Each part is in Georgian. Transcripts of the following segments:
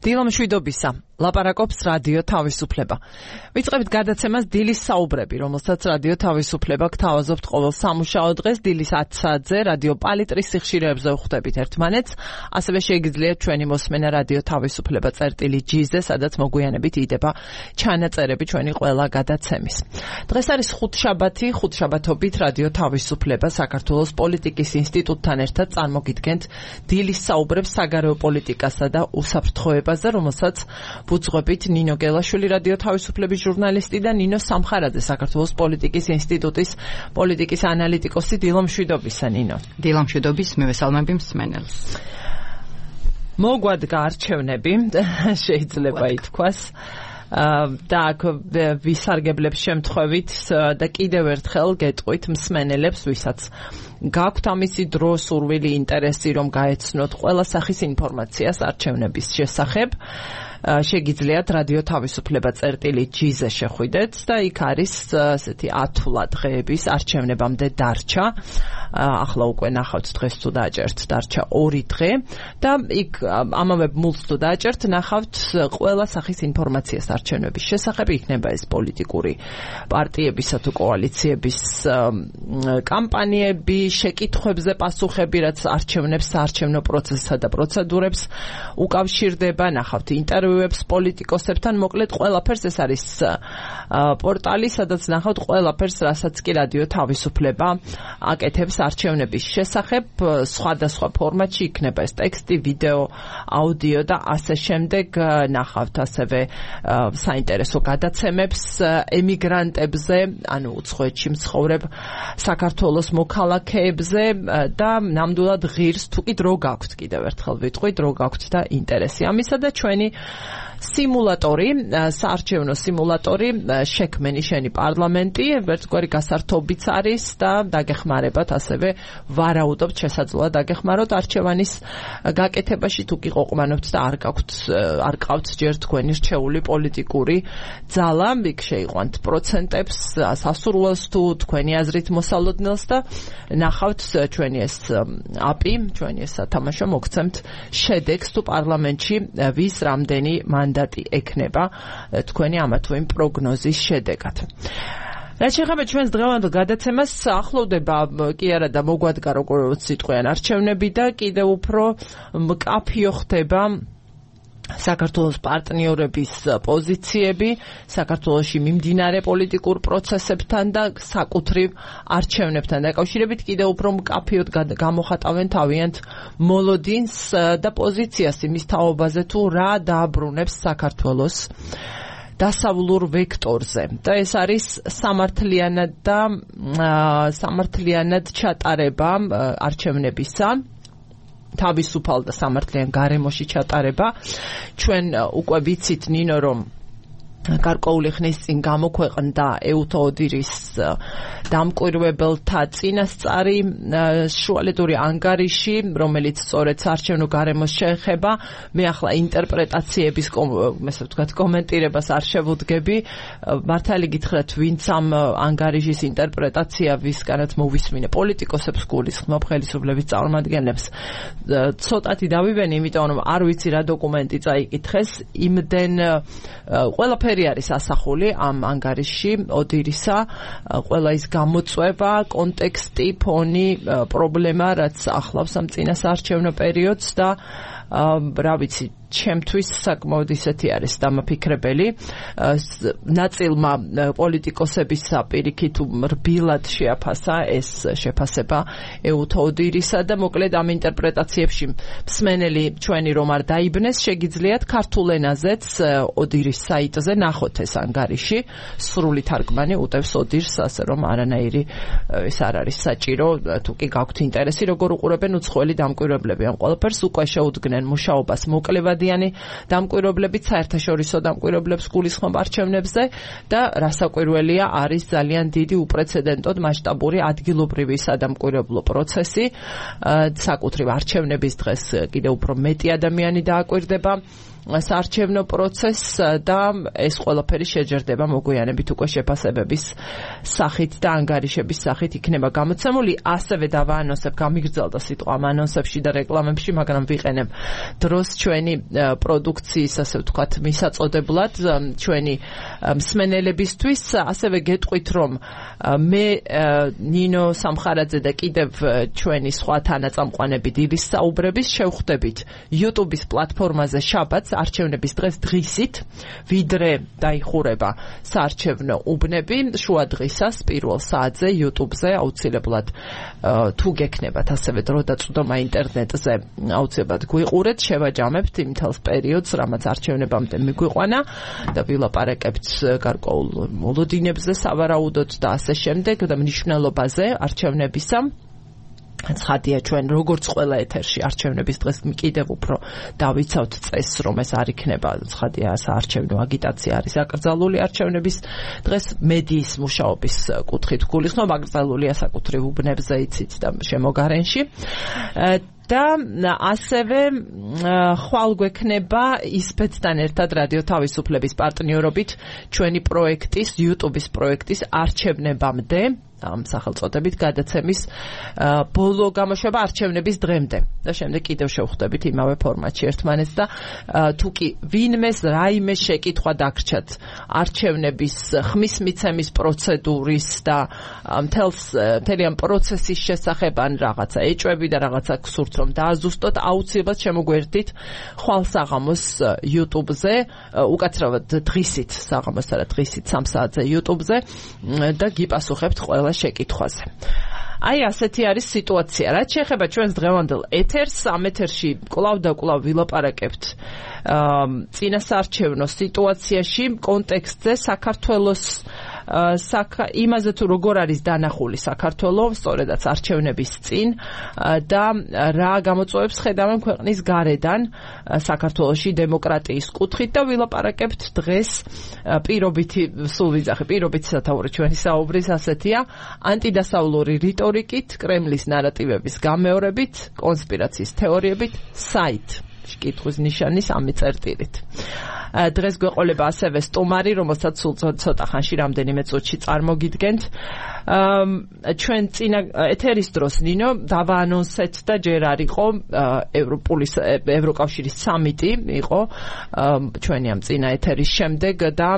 დილა მშვიდობისა. ლაპარაკობს რადიო თავისუფლება. ვიწყებთ გადაცემას დილის საუბრები, რომელსაც რადიო თავისუფლება გთავაზობთ ყოველ სამუშაო დღეს დილის 10 საათზე რადიო პალიტრის სიხშირეებზე ვხვდებით ერთმანეთს. ასევე შეგიძლიათ ჩვენი მოსმენა რადიო თავისუფლება წერტილი.gz-ზე, სადაც მოგვიანებით იდება ჩანაწერები ჩვენი ყველა გადაცემის. დღეს არის ხუთშაბათობით რადიო თავისუფლება საქართველოს პოლიტიკის ინსტიტუტთან ერთად წარმოგიდგენთ დილის საუბრებს საგარეო პოლიტიკასა და უსაფრთხოებაზე, რომელსაც ბუძღვებით ნინო გელაშვილი რადიო თავისუფლების ჟურნალისტი და ნინო სამხარაძე საქართველოს პოლიტიკის ინსტიტუტის პოლიტიკის ანალიტიკოსი. დილა მშვიდობისა, ნინო. დილა მშვიდობის, მივესალმები მსმენელს. მოგვადგა არჩევნები, შეიძლება ითქვას. და აქ ვისარგებლებს შემთხვევით და კიდევ ერთხელ გეტყვით მსმენელებს, ვისაც გაქვთ ამისი დრო, სურვილი, ინტერესი, რომ გაეცნოთ ყველა სახის ინფორმაციას არჩევნების შესახებ, შეგიძლიათ რადიო თავისუფლება წერტილი.gz-ზე შეხვიდეთ და იქ არის ესეთი ათვლა დღეების არჩევნებამდე დარჩა. ახლა უკვე ნახავთ დღეს თუ დააჭერთ, დარჩა 2 დღე და იქ ამავე მულს თუ დააჭერთ, ნახავთ ყველა სახის ინფორმაციას არჩევნების შესახებ. იქნება ეს პოლიტიკური პარტიებისა თუ კოალიციების კამპანიები, შეკითხვებზე პასუხები, რაც არჩევნებს, საარჩევნო პროცესსა და პროცედურებს უკავშირდება, ნახავთ ინტერვიუებს პოლიტიკოსებთან, მოკლედ ყველაფერს. ეს არის პორტალი, სადაც ნახავთ ყველაფერს, რასაც კი რადიო თავისუფლება აკეთებს არჩევნების შესახებ. სხვადასხვა ფორმატში იქნება ეს ტექსტი, ვიდეო, აუდიო და ასე შემდეგ. ნახავთ ასევე საინტერესო გადაცემებს ემიგრანტებზე, ანუ უცხოეთში მცხოვრებ საქართველოს მოქალაქეებზე და ნამდვილად ღირს, თუ კი დრო გაქვთ, კიდევ ერთხელ ვიტყვით, დრო გაქვთ და ინტერესი ამისა და ჩვენი სიმულატორი, საარჩევნო სიმულატორი, შექმენი შენი პარლამენტი, ერთგვარი გასართობიც არის და დაგეხმარებათ, ასევე ვარაუდობთ, შესაძლოა დაგეხმაროთ არჩევანის გაკეთებაში, თუ კი ყოყმანობთ და არ ყავთ ჯერ თქვენი რჩეული პოლიტიკური ძალა, იქ შეიყვანთ პროცენტებს, სასურველს თუ თქვენი აზრით მოსალოდნელს და ნახავთ ჩვენი ეს აპი, ჩვენი ეს სათამაშო, მოგცემთ შედეგს თუ პარლამენტში ვის რამდენი მანდატი ექნება თქვენი ამა თუ იმ პროგნოზის შედეგად. რაც შეეხება ჩვენს დღევანდელ გადაცემას, ახლოვდება კი არა და მოგვადგა როგორც სიტყვიან არჩევნები და კიდევ უფრო მკაფიო ხდება საქართველოს პარტნიორების პოზიციები, საქართველოში მიმდინარე პოლიტიკურ პროცესებთან და საკუთრივ არჩევნებთან დაკავშირებით კიდევ უფრო მკაფიოდ გამოხატავენ თავიანთ მოლოდინს და პოზიციას იმის თაობაზე, თუ რა დააბრუნებს საქართველოს დასავლურ ვექტორზე. და ეს არის სამართლიანად ჩატარება არჩევნებისა, თავისუფალ და სამართლიან გარემოში ჩატარება. ჩვენ უკვე ვიცით, ნინო, რომ გარკვეული ხნის წინ გამოქვეყნდა ეუთო ოდირის დამკვირვებელთა წინასწარი შუალედური ანგარიში, რომელიც სწორედ საარჩევნო გარემოს შეეხება. მე ახლა ინტერპრეტაციების კომენტირებას არ შევუდგები. მართალი გითხრათ, ვინც ამ ანგარიშის ინტერპრეტაცია ვისგანაც მოვისმინე, პოლიტიკოსებს გულისხმობ, ხელისუფლების წარმომადგენლებს ცოტათი დავიბენე, იმიტომ რომ არ ვიცი რა დოკუმენტი წაიკითხეს, იმდენ ყველაფერი არის ასახული ამ ანგარიშში ოდირისა, ყველა ის გამოწვევა, კონტექსტი, ფონი, პრობლემა, რაც ახლავს ამ წინასაარჩევნო პერიოდს და რა ვიცი, ჩემთვის საკმაოდ ისეთი არის დამაფიქრებელი. ნაწილმა პოლიტიკოსებისა პირიქით რბილად შეაფასა ეს შეფასება ეუთო ოდირისა და მოკლედ ამ ინტერპრეტაციებში მსმენელი ჩვენი რომ არ დაიბნეს, შეგიძლიათ ქართულ ენაზეც ოდირის საიტზე ნახოთ ეს ანგარიში. სრული თარგმანი უტევს ოდირს, ასე რომ არანაირი ეს არ არის საჭირო, თუ კი გაქვთ ინტერესი, როგორ უყურებენ უცხოელი დამკვირვებლები ამ ყველაფერს, უკვე შეუდგნენ მუშაობას მოკლევად დამკვირვებლებით, საერთაშორისო დამკვირვებლებს გულისხმობ არჩევნებზე და რასაკვირველია, არის ძალიან დიდი უპრეცედენტოდ მასშტაბური ადგილობრივი სადამკვირვებლო პროცესი. საკუთრივ არჩევნების დღეს კიდევ უფრო მეტი ადამიანი დააკვირდება საარჩევნო პროცესს და ეს ყველაფერი შეჯერდება მოგვიანებით უკვე შეფასებების სახით და ანგარიშების სახით იქნება გამოცემული. ასევე დავაანონსებ, გამიგრძელდა სიტყვა ამ ანონსებში და რეკლამებში, მაგრამ ვიყენებ დროს ჩვენი პროდუქციის, ასე ვთქვათ, მისაწოდებლად ჩვენი მსმენელებისთვის. ასევე გეტყვით, რომ მე ნინო სამხარაძე და კიდევ ჩვენი სხვა თანაწამყვანები დილის საუბრების შევხვდებით YouTube-ის პლატფორმაზე შაბათს არჩევნების დღეს დღისით, ვიდრე დაიხურება საარჩევნო უბნები, შუა დღისას პირველ საათზე YouTube-ზე აუცილებლად თუ გექნებათ ასევე დრო და წვდომა ინტერნეტზე აუცილებლად გვიყურეთ, შევაჯამებთ იმ თელს პერიოდს, რამაც არჩევნებამდე მიგვიყვანა და ვილაპარაკებთ გარკვეულ მოლოდინებზე სავარაუდოდ და ასე შემდეგ და მნიშვნელობაზე არჩევნებისა. ცხადია ჩვენ როგორც ყველა ეთერში არჩევნების დღეს კიდევ უფრო დავიცავთ წესს, რომ ეს არ იქნება ცხადია საარჩევნო აგიტაცია არის აკრძალული არჩევნების დღეს მედიის მუშაობის კუთხით გულისხმობ, აკრძალულია საკუთრივ უბნებზე იცით და შემოგარენში. და ასევე ხვალ გვექნება ისპეცთან ერთად რადიო თავისუფლების პარტნიორობით ჩვენი პროექტის, YouTube-ის პროექტის არჩევნებამდე ამ სახელწოდებით გადაცემის ბოლო გამოშვება არჩევნების დღემდე და შემდეგ კიდევ შევხვდებით იმავე ფორმატში ერთმანეთს და თუ კი ვინმეს რაიმე შეკითხვა დაგრჩათ არჩევნების ხმის მიცემის პროცედურის და მთელი ამ პროცესის შესახებ ან რაღაცა ეჭვები და რაღაცა გსურთ რომ დააზუსტოთ, აუცილებლად შემოგვერდით ხვალ საღამოს YouTube-ზე, უკაცრავად დღისით საღამოს და დღისით 3 საათზე YouTube-ზე და გიპასუხებთ ყველა შეკითხვაზე. აი ასეთი არის სიტუაცია. რაც შეეხება ჩვენს დღევანდელ ეთერს, ამ ეთერში კვლავ და კვლავ ვილაპარაკებთ წინასაარჩევნო სიტუაციაში, კონტექსტზე, საქართველოს იმაზე თუ როგორ არის დანახული საქართველოს, სწორედაც არჩევნების წინ და რა გამოწვევებს ხედავენ ქვეყნის გარედან საქართველოში დემოკრატიის კუთხით და ვილაპარაკებთ დღეს პირობითი, სულ ვიძახე, პირობითი სათაური ჩვენი საუბრის ასეთია, ანტიდასავლური რიტორიკით, კრემლის ნარატივების გამეორებით, კონსპირაციის თეორიებით, საით კითხვის ნიშანის ამიწერტილით. დღეს გვეყოლება ასევე სტუმარი, რომელსაც სულ ცოტა ხანში რამდენიმე წუთში წარმოგიდგენთ. ჩვენ წინა ეთერის დროს ნინო დავაანონსეთ და ჯერ არ იყო ევროკავშირის სამიტი იყო ჩვენი ამ წინა ეთერის შემდეგ და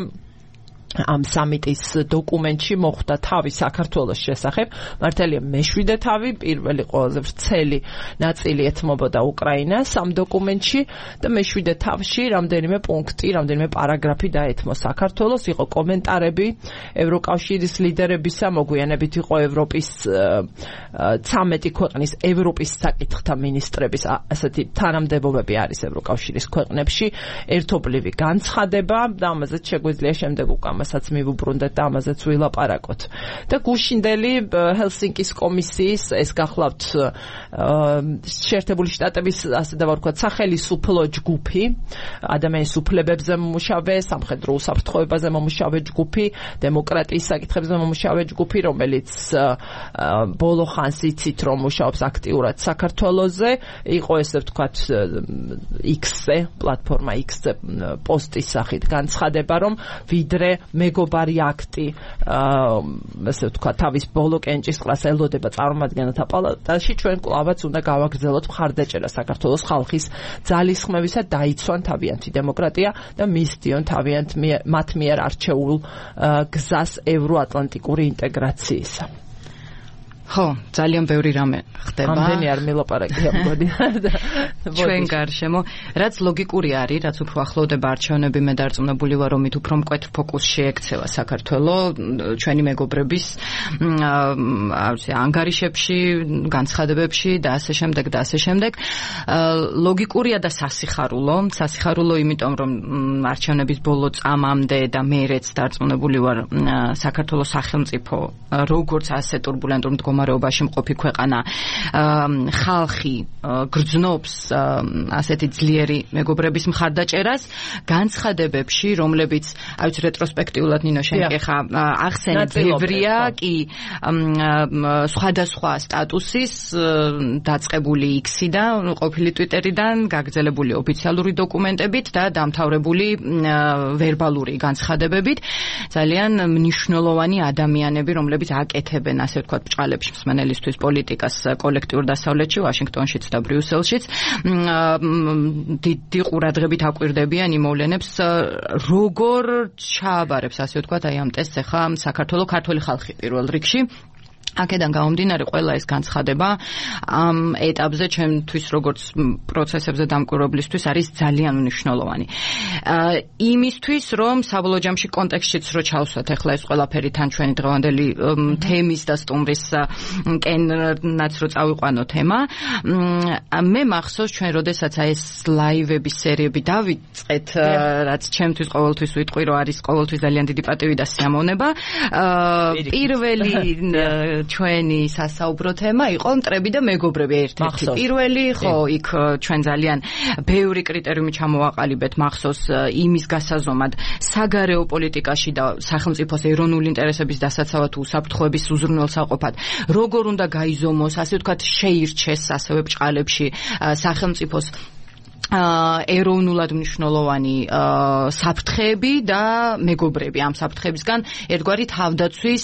ამ სამიტის დოკუმენტში მოხვდა თავი საქართველოს შესახებ. მართალია მე-7 თავი, პირველი ყველაზე ვრცელი ნაწილი ეთმობოდა უკრაინას ამ დოკუმენტში და მე-7 თავში რამდენიმე პუნქტი, რამდენიმე პარაგრაფი დაეთმო საქართველოს, იყო კომენტარები ევროკავშირის ლიდერებისა, მოგვიანებით იყო ევროპის 13 ქვეყნის ევროპის საკითხთა მინისტრების ასეთი თანამდებობები არის ევროკავშირის ქვეყნებში, ერთობლივი განცხადება და ამაზეც შეგვიძლია შემდეგ მასაც მივუბრუნდეთ და ამაზეც ვილაპარაკოთ. და გუშინდელი ჰელსინკის კომისიის ეს გახლავთ შეერთებული შტატების ასე დავარქვათ სახელისუფლო ჯგუფი, ადამიანის უფლებებზე მომუშავე, სამხედრო უსაფრთხოებაზე მომუშავე ჯგუფი, დემოკრატიის საკითხებზე მომუშავე ჯგუფი, რომელიც ბოლო ხანს იცით რომ მუშაობს აქტიურად საქართველოზე, იყო ესე ვთქვათ X-ზე, პლატფორმა X-ზე პოსტის სახით განცხადება, რომ ვიდრე მეგობარი აქტი ასე ვთქვათ თავის ბოლო კენჭისყრას ელოდება წარმომადგენელთა პალატაში, ჩვენ კვლავაც უნდა გავაგრძელოთ მხარდაჭერა საქართველოს ხალხის ძალისხმევისა, დაიცვან თავიანთი დემოკრატია და მისდიონ თავიანთ მათ მიერ არჩეულ გზას ევროატლანტიკური ინტეგრაციისა. ხო, ძალიან ბევრი რამე ხდება. ამდენი არ მილაპარაკია მგონი. ჩვენ გარშემო, რაც ლოგიკური არის, რაც უფრო ახლოვდება არჩევნები, მე დარწმუნებული ვარ, რომ მით უფრო მკვეთ ფოკუსში ექცევა საქართველოს ჩვენი მეგობრების ანგარიშებში, განცხადებებში და ასე შემდეგ და ასე შემდეგ. ლოგიკურია და სასიხარულო, იმიტომ რომ არჩევნების ბოლო წამამდე და მერეც დარწმუნებული ვარ, საქართველოს სახელმწიფო როგორც ასე ტურბულენტურ მდგომარეობაში მდგომარეობაში მყოფი ქვეყანა ხალხი გრძნობს ასეთი ძლიერი მეგობრების მხარდაჭერას განცხადებებში, რომლებიც აი ვიცი რეტროსპექტიულად ნინო შენ ხა ახსენე ბევრია, კი სხვადასხვა სტატუსის დაწყებული X-დან, ყოფილი Twitter-დან, გაგრძელებული ოფიციალური დოკუმენტებით და დამთავრებული ვერბალური განცხადებებით, ძალიან მნიშვნელოვანი ადამიანები, რომლებიც აკეთებენ, ასე ვთქვათ, ბრჭყალებში მსმენელისთვის პოლიტიკას კოლექტიურ დასავლეთში, ვაშინგტონშიც და ბრიუსელშიც, დიდი ყურადღებით აკვირდებიან იმ მოვლენებს, როგორ ჩააბარებს, ასე ვთქვათ, აი ამ ტესტს ახლა საქართველოს ქართული ხალხი პირველ რიგში. აქედან გამომდინარე ყველა ეს განცხადება ამ ეტაპზე ჩემთვის როგორც პროცესებზე დამკვირვებლისთვის არის ძალიან მნიშვნელოვანი. იმისთვის რომ საბოლოო ჯამში კონტექსტშიც რო ჩავსვათ ახლა ეს ყველაფერი თან ჩვენი დღევანდელი თემის და სტუმრის კენაც რო წავიყვანო თემა, მე მახსოვს ჩვენ როდესაც ეს ლაივების სერიები დავიწყეთ, რაც ჩემთვის ყოველთვის ვიტყვი რომ არის ყოველთვის ძალიან დიდი პატივი და სიამოვნება. პირველი ჩვენი სასაუბრო თემა იყო მტრები და მეგობრები ერთ-ერთი. პირველი, ხო, იქ ჩვენ ძალიან ბევრი კრიტერიუმი ჩამოვაყალიბეთ მახსოვს იმის გასაზომად საგარეო პოლიტიკაში და სახელმწიფოს ეროვნული ინტერესების დასაცავად უსაფრთხოების უზრუნველსაყოფად. როგორ უნდა გაიზომოს, ასე ვთქვათ, შეირჩეს ასევე ბრჭყალებში სახელმწიფოს ეროვნულად მნიშვნელოვანი საფრთხეები და მეგობრები ამ საფრთხეებისგან ერთგვარი თავდაცვის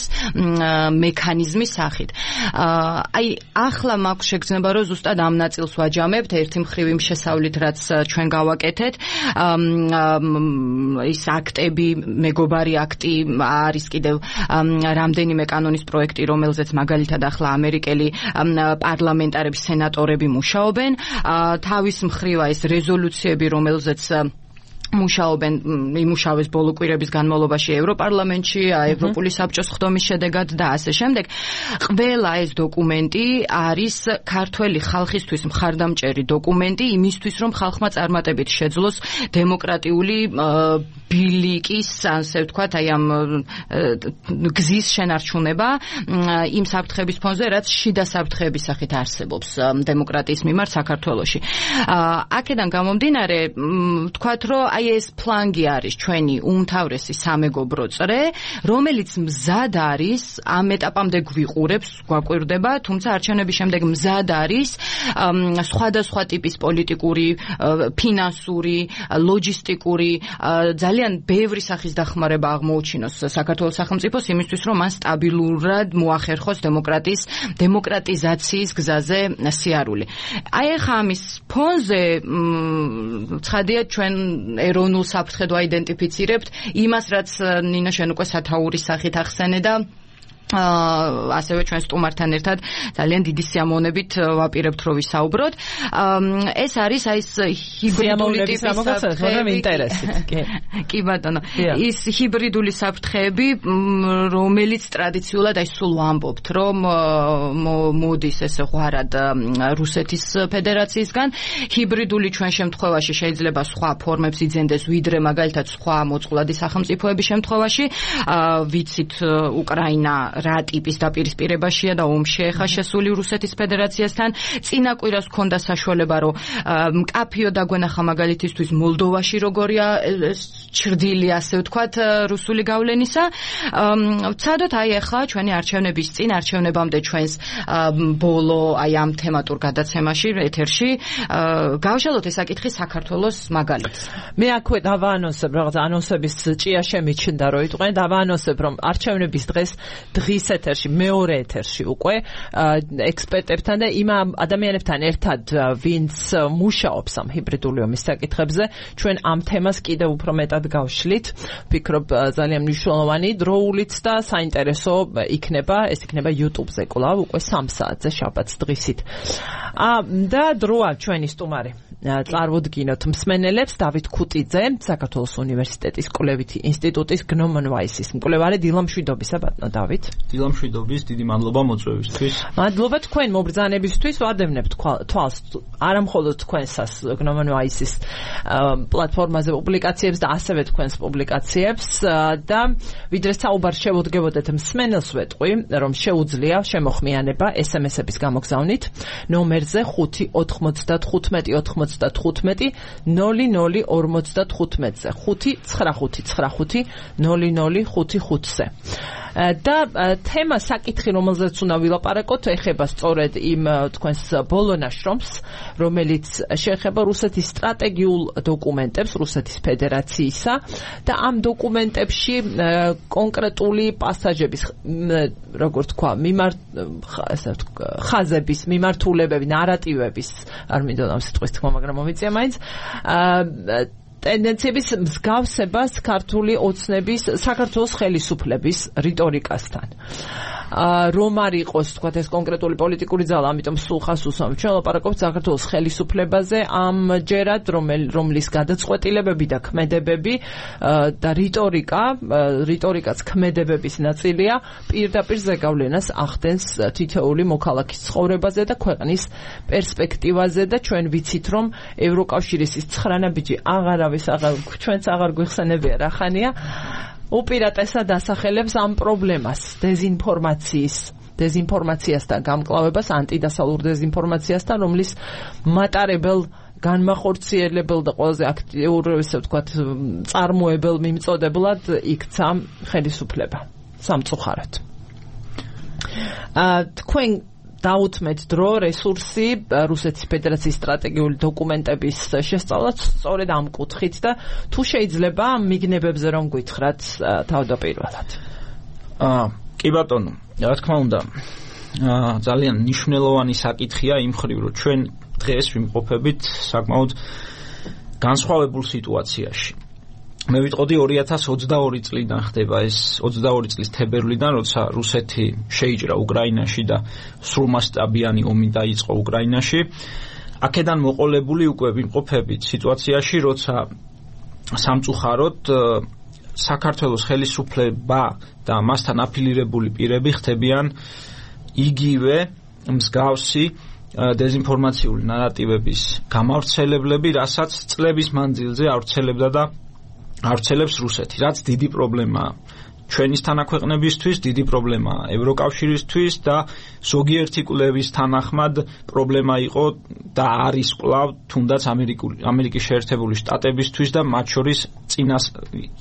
მექანიზმის სახით. აი ახლა მაქვს შეგრძნება რომ ზუსტად ამ ნაწილს ვაჯამებთ ერთი მხრივ იმ შესავლით რაც ჩვენ გავაკეთეთ ის აქტები მეგობარი აქტი არის კიდევ რამდენიმე კანონის პროექტი რომელზეც მაგალითად ახლა ამერიკელი პარლამენტარები სენატორები მუშაობენ თავის მხრივ ეს რეზოლუციები რომელზეც მუშაობენ იმუშავეს ბოლო კვირების განმავლობაში ევროპარლამენტში, ევროპული საბჭოს ხდომის შედეგად და ასე შემდეგ. ყველა ეს დოკუმენტი არის ქართველი ხალხისთვის მხარდამჭერი დოკუმენტი იმისთვის, რომ ხალხმა წარმატებით შეძლოს დემოკრატიული ბილიკის, ასე ვთქვათ, აი ამ გზის შენარჩუნება იმ საფრთხების ფონზე, რაც შიდა საფრთხეების სახით არსებობს დემოკრატიის მიმართ საქართველოში. აქედან გამომდინარე, ვთქვათ, რომ აი ეს ფლანგი არის ჩვენი უმთავრესი სამეგობრო წრე, რომელიც მზად არის ამ ეტაპამდე გვიყურებს, გვაკვირდება, თუმცა არჩევნების შემდეგ მზად არის სხვადასხვა ტიპის პოლიტიკური, ფინანსური, ლოჯისტიკური, ძალიან ბევრი სახის დახმარება აღმოუჩინოს საქართველოს სახელმწიფოს იმისთვის, რომ მან სტაბილურად მოახერხოს დემოკრატიზაციის გზაზე სიარული. აი ახლა ამის ფონზე ცხადია ჩვენ ეროვნულ საფრთხედ ვაიდენტიფიცირებთ იმას, რაც ნინო შენ უკვე სათაურის სახით ახსენე და ასევე ჩვენ სტუმართან ერთად ძალიან დიდი სიამოვნებით ვაპირებთ რომ ვისაუბროთ. ეს არის აი ეს ჰიბრიდული ტიპის საფრთხეები. კი ბატონო. ის ჰიბრიდული საფრთხეები, რომელიც ტრადიციულად აი სულ ვამბობთ, რომ მოდის ესე ღვარად რუსეთის ფედერაციისგან. ჰიბრიდული ჩვენ შემთხვევაში შეიძლება სხვა ფორმებს იძენდეს, ვიდრე მაგალითად სხვა მოწყვლადი სახელმწიფოების შემთხვევაში. ვიცით უკრაინა რა ტიპის დაპირისპირებაშია და ომში ხა შესული რუსეთის ფედერაციასთან. წინა კვირას ჰქონდა საშუალება, რომ მკაფიო დაგვენახა მაგალითისთვის მოლდოვაში როგორია ჩრდილი, ასე ვთქვათ, რუსული გავლენისა. ვცადოთ აი ახლა ჩვენი არჩევნების წინ, არჩევნებამდე ჩვენს ბოლო აი ამ თემატურ გადაცემაში ეთერში გავშალოთ ეს საკითხი საქართველოს მაგალითს. მე აქვე დავაანონსებ, რაღაც ანონსების ჭია შემიჩნდა, რომ იტყვენ დავაანონსებ, რომ არჩევნების დღის ეთერში, მეორე ეთერში უკვე ექსპერტებთან და იმ ადამიანებთან ერთად, ვინც მუშაობს ამ ჰიბრიდული ომის საკითხებზე, ჩვენ ამ თემას კიდევ უფრო მეტად გავშლით. ვფიქრობ ძალიან მნიშვნელოვანი, დროულიც და საინტერესო იქნება, ეს იქნება YouTube-ზე კვლავ უკვე 3 საათზე შაბათს დღისით. და დროა ჩვენი სტუმარი. წარვუდგინოთ მსმენელებს დავით ქუტიძე, საქართველოს უნივერსიტეტის კვლევითი ინსტიტუტის გნომონ ვაისის მკვლევარი დილამშვიდობისა ბატონო დავით. დილამშვიდობის, დიდი მადლობა მოწვევისთვის. მადლობა თქვენ მობრძანებისთვის, ვადევნებთ თვალს არა მხოლოდ თქვენსას გნომანოაისის პლატფორმაზე პუბლიკაციებს და ასევე თქვენს პუბლიკაციებს და ვიდრე საუბარ შევუდგებოდეთ მსმენელს ვეტყვი, რომ შეუძლია შემოხმიანება SMS-ების გამოგზავნით ნომერზე 595-95-95 0055-ზე 595-95-0055-ზე და თემა საკითხი რომელზეც უნდა ვილაპარაკოთ ეხება სწორედ იმ თქვენს ბოლო ნაშრომს რომელიც შეეხება რუსეთის სტრატეგიულ დოკუმენტებს რუსეთის ფედერაციისა და ამ დოკუმენტებში კონკრეტული პასაჟების როგორ თქვა ხაზების მიმართულებები ნარატივების არ მინდოდა ამ სიტყვის თქმა მაგრამ მომიწია მაინც ტენდენციების მსგავსებას ქართული ოცნების საქართველოს ხელისუფლების რიტორიკასთან. რომ არ იყოს თქვა ეს კონკრეტული პოლიტიკური ძალა, ამიტომ სულ ხას უსვამ ჩვენ ლაპარაკობთ საქართველოს ხელისუფლებაზე ამჯერად რომლის გადაწყვეტილებები და ქმედებები და რიტორიკაც ქმედებების ნაწილია პირდაპირ ზეგავლენას ახდენს თითოეული მოქალაქის ცხოვრებაზე და ქვეყნის პერსპექტივაზე და ჩვენ ვიცით რომ ევროკავშირის ის 9 ბიჭი ჩვენც აღარ გვიხსენებია რა ხანია უპირატესად ასახელებს ამ პრობლემას დეზინფორმაციასთან გამკლავებას ანტიდასალურ დეზინფორმაციასთან რომლის მატარებელ განმახორციელებელ და ყველაზე აქტიურ ესე ვთქვათ წარმოებელ მიმწოდებლად იქცა ხელისუფლება სამწუხაროდ თქვენ დაუთმეთ დრო რესურსი რუსეთის ფედერაციის სტრატეგიული დოკუმენტების შესწავლად სწორედ ამ კუთხით და თუ შეიძლება მიგნებებზე რომ გითხრათ თავდაპირველად. კი ბატონო, რა თქმა უნდა, ძალიან მნიშვნელოვანი საკითხია იმ მხრივ რომ ჩვენ დღეს ვიმყოფებით საკმაოდ განსხვავებულ სიტუაციაში. მე ვიტყოდი 2022 წლიდან ხდება ეს 22 წლის თებერვლიდან, როცა რუსეთი შეიჭრა უკრაინაში და სრულმასშტაბიანი ომი დაიწყო უკრაინაში. აქედან მოყოლებული უკვე ვიმყოფებით სიტუაციაში, როცა სამწუხაროდ საქართველოს ხელისუფლება და მასთან აფილირებული პირები ხდებიან იგივე მსგავსი დეზინფორმაციული ნარატივების გამავრცელებლები, რასაც წლების მანძილზე ავრცელებდა და ავრცელებს რუსეთი, რაც დიდი პრობლემაა ჩვენის თანაქვეყნებისთვის, დიდი პრობლემაა ევროკავშირისთვის და ზოგიერთი კვლევის თანახმად პრობლემა იყო და არის კვლავ თუნდაც ამერიკის შეერთებული შტატებისთვის და მათ შორის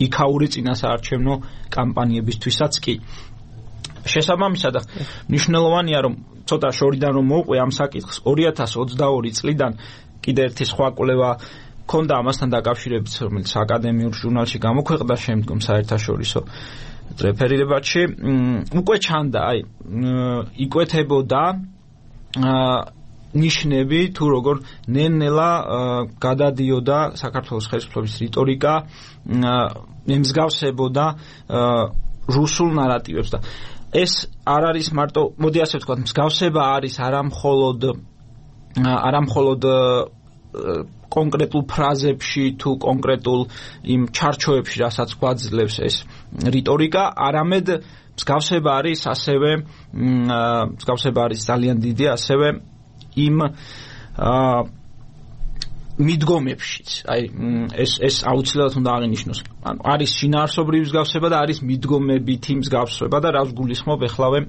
იქაური წინასაარჩევნო კამპანიებისთვისაც კი. შესაბამისად მნიშვნელოვანია რომ ცოტა შორიდან რომ მოვყვე ამ საკითხს 2022 წლიდან კიდე ერთი სხვა კვლევა ქონდა ამასთან დაკავშირებით, რომელიც აკადემიურ ჟურნალში გამოქვეყნდა შემდგომ საერთაშორისო რეფერირებაში, უკვე ჩანდა, იკვეთებოდა ნიშნები თუ როგორ ნელ-ნელა გადადიოდა საქართველოს ხელისუფლების რიტორიკა, ემსგავსებოდა რუსულ ნარატივებს და ეს არ არის მარტო, მოდი ასე ვთქვათ, მსგავსება არის არა მხოლოდ კონკრეტულ ფრაზებში თუ კონკრეტულ იმ ჩარჩოებში, რასაც გვაძლევს ეს რიტორიკა, არამედ მსგავსება არის ძალიან დიდი ასევე იმ მიდგომებშიც. ეს აუცილებლად უნდა აღინიშნოს. ანუ არის შინაარსობრივი მსგავსება და არის მიდგომებითი მსგავსება და რას გულისხმობ ეხლავე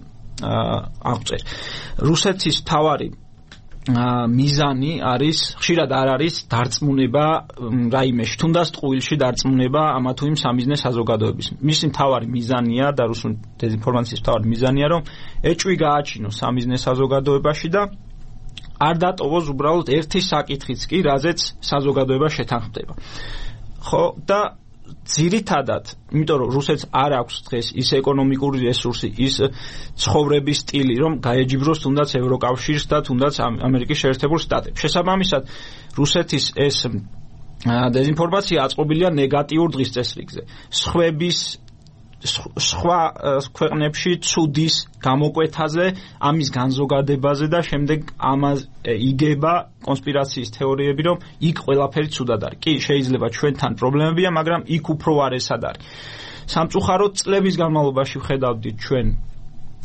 აღწერ. რუსეთის თავარი მიზანი არის ხშირად არ არის დარწმუნება რაიმეში, თუნდაც ტყუილში დარწმუნება ამა თუ იმ სამიზნე საზოგადოების. მისი მთავარი მიზანია და რუსული დეზინფორმაციის მთავარი მიზანია, რომ ეჭვი გააჩინოს სამიზნე საზოგადოებაში და არ დატოვოს უბრალოდ ერთი საკითხიც კი, რაზეც საზოგადოება შეთანხმდება. ხო და ძირითადად, იმიტომ რომ რუსეთს არ აქვს დღეს ის ეკონომიკური რესურსი, ის ცხოვრების სტილი, რომ გაეჯიბროს თუნდაც ევროკავშირს და თუნდაც ამერიკის შეერთებულ შტატებს. შესაბამისად, რუსეთის ეს დეზინფორმაცია აწყობილია ნეგატიურ დღის წესრიგზე. სხვა ქვეყნებში ცუდის გამოკვეთაზე, ამის განზოგადებაზე და შემდეგ ამას იგება კონსპირაციის თეორიები, რომ იქ ყველაფერი ცუდად არის. კი, შეიძლება ჩვენთან პრობლემებია, მაგრამ იქ უფრო არ ესად არის. სამწუხაროდ წლების განმავლობაში ვხედავდით ჩვენ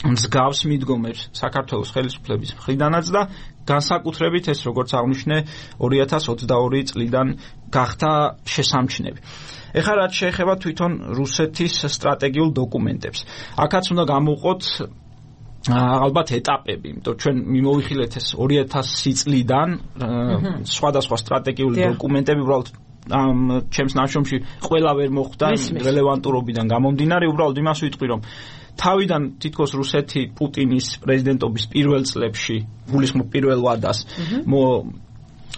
მსგავს მიდგომებს საქართველოს ხელისუფლების მხრიდანაც და განსაკუთრებით ეს როგორც აღნიშნე 2022 წლიდან გახდა შესამჩნევი. ეხლა რაც შეეხება თვითონ რუსეთის სტრატეგიულ დოკუმენტებს. აქაც უნდა გამოვყოთ ალბათ ეტაპები, იმიტომ ჩვენ მიმოვიხილეთ ეს 2000 წლიდან სხვადასხვა სტრატეგიული დოკუმენტები უბრალოდ ჩემს ნაშრომში ყველა ვერ მოხვდა რელევანტურობიდან გამომდინარე, უბრალოდ იმას ვიტყვი, რომ თავიდან თითქოს რუსეთი პუტინის პრეზიდენტობის პირველ წლებში, გულისხმობ პირველ ვადას,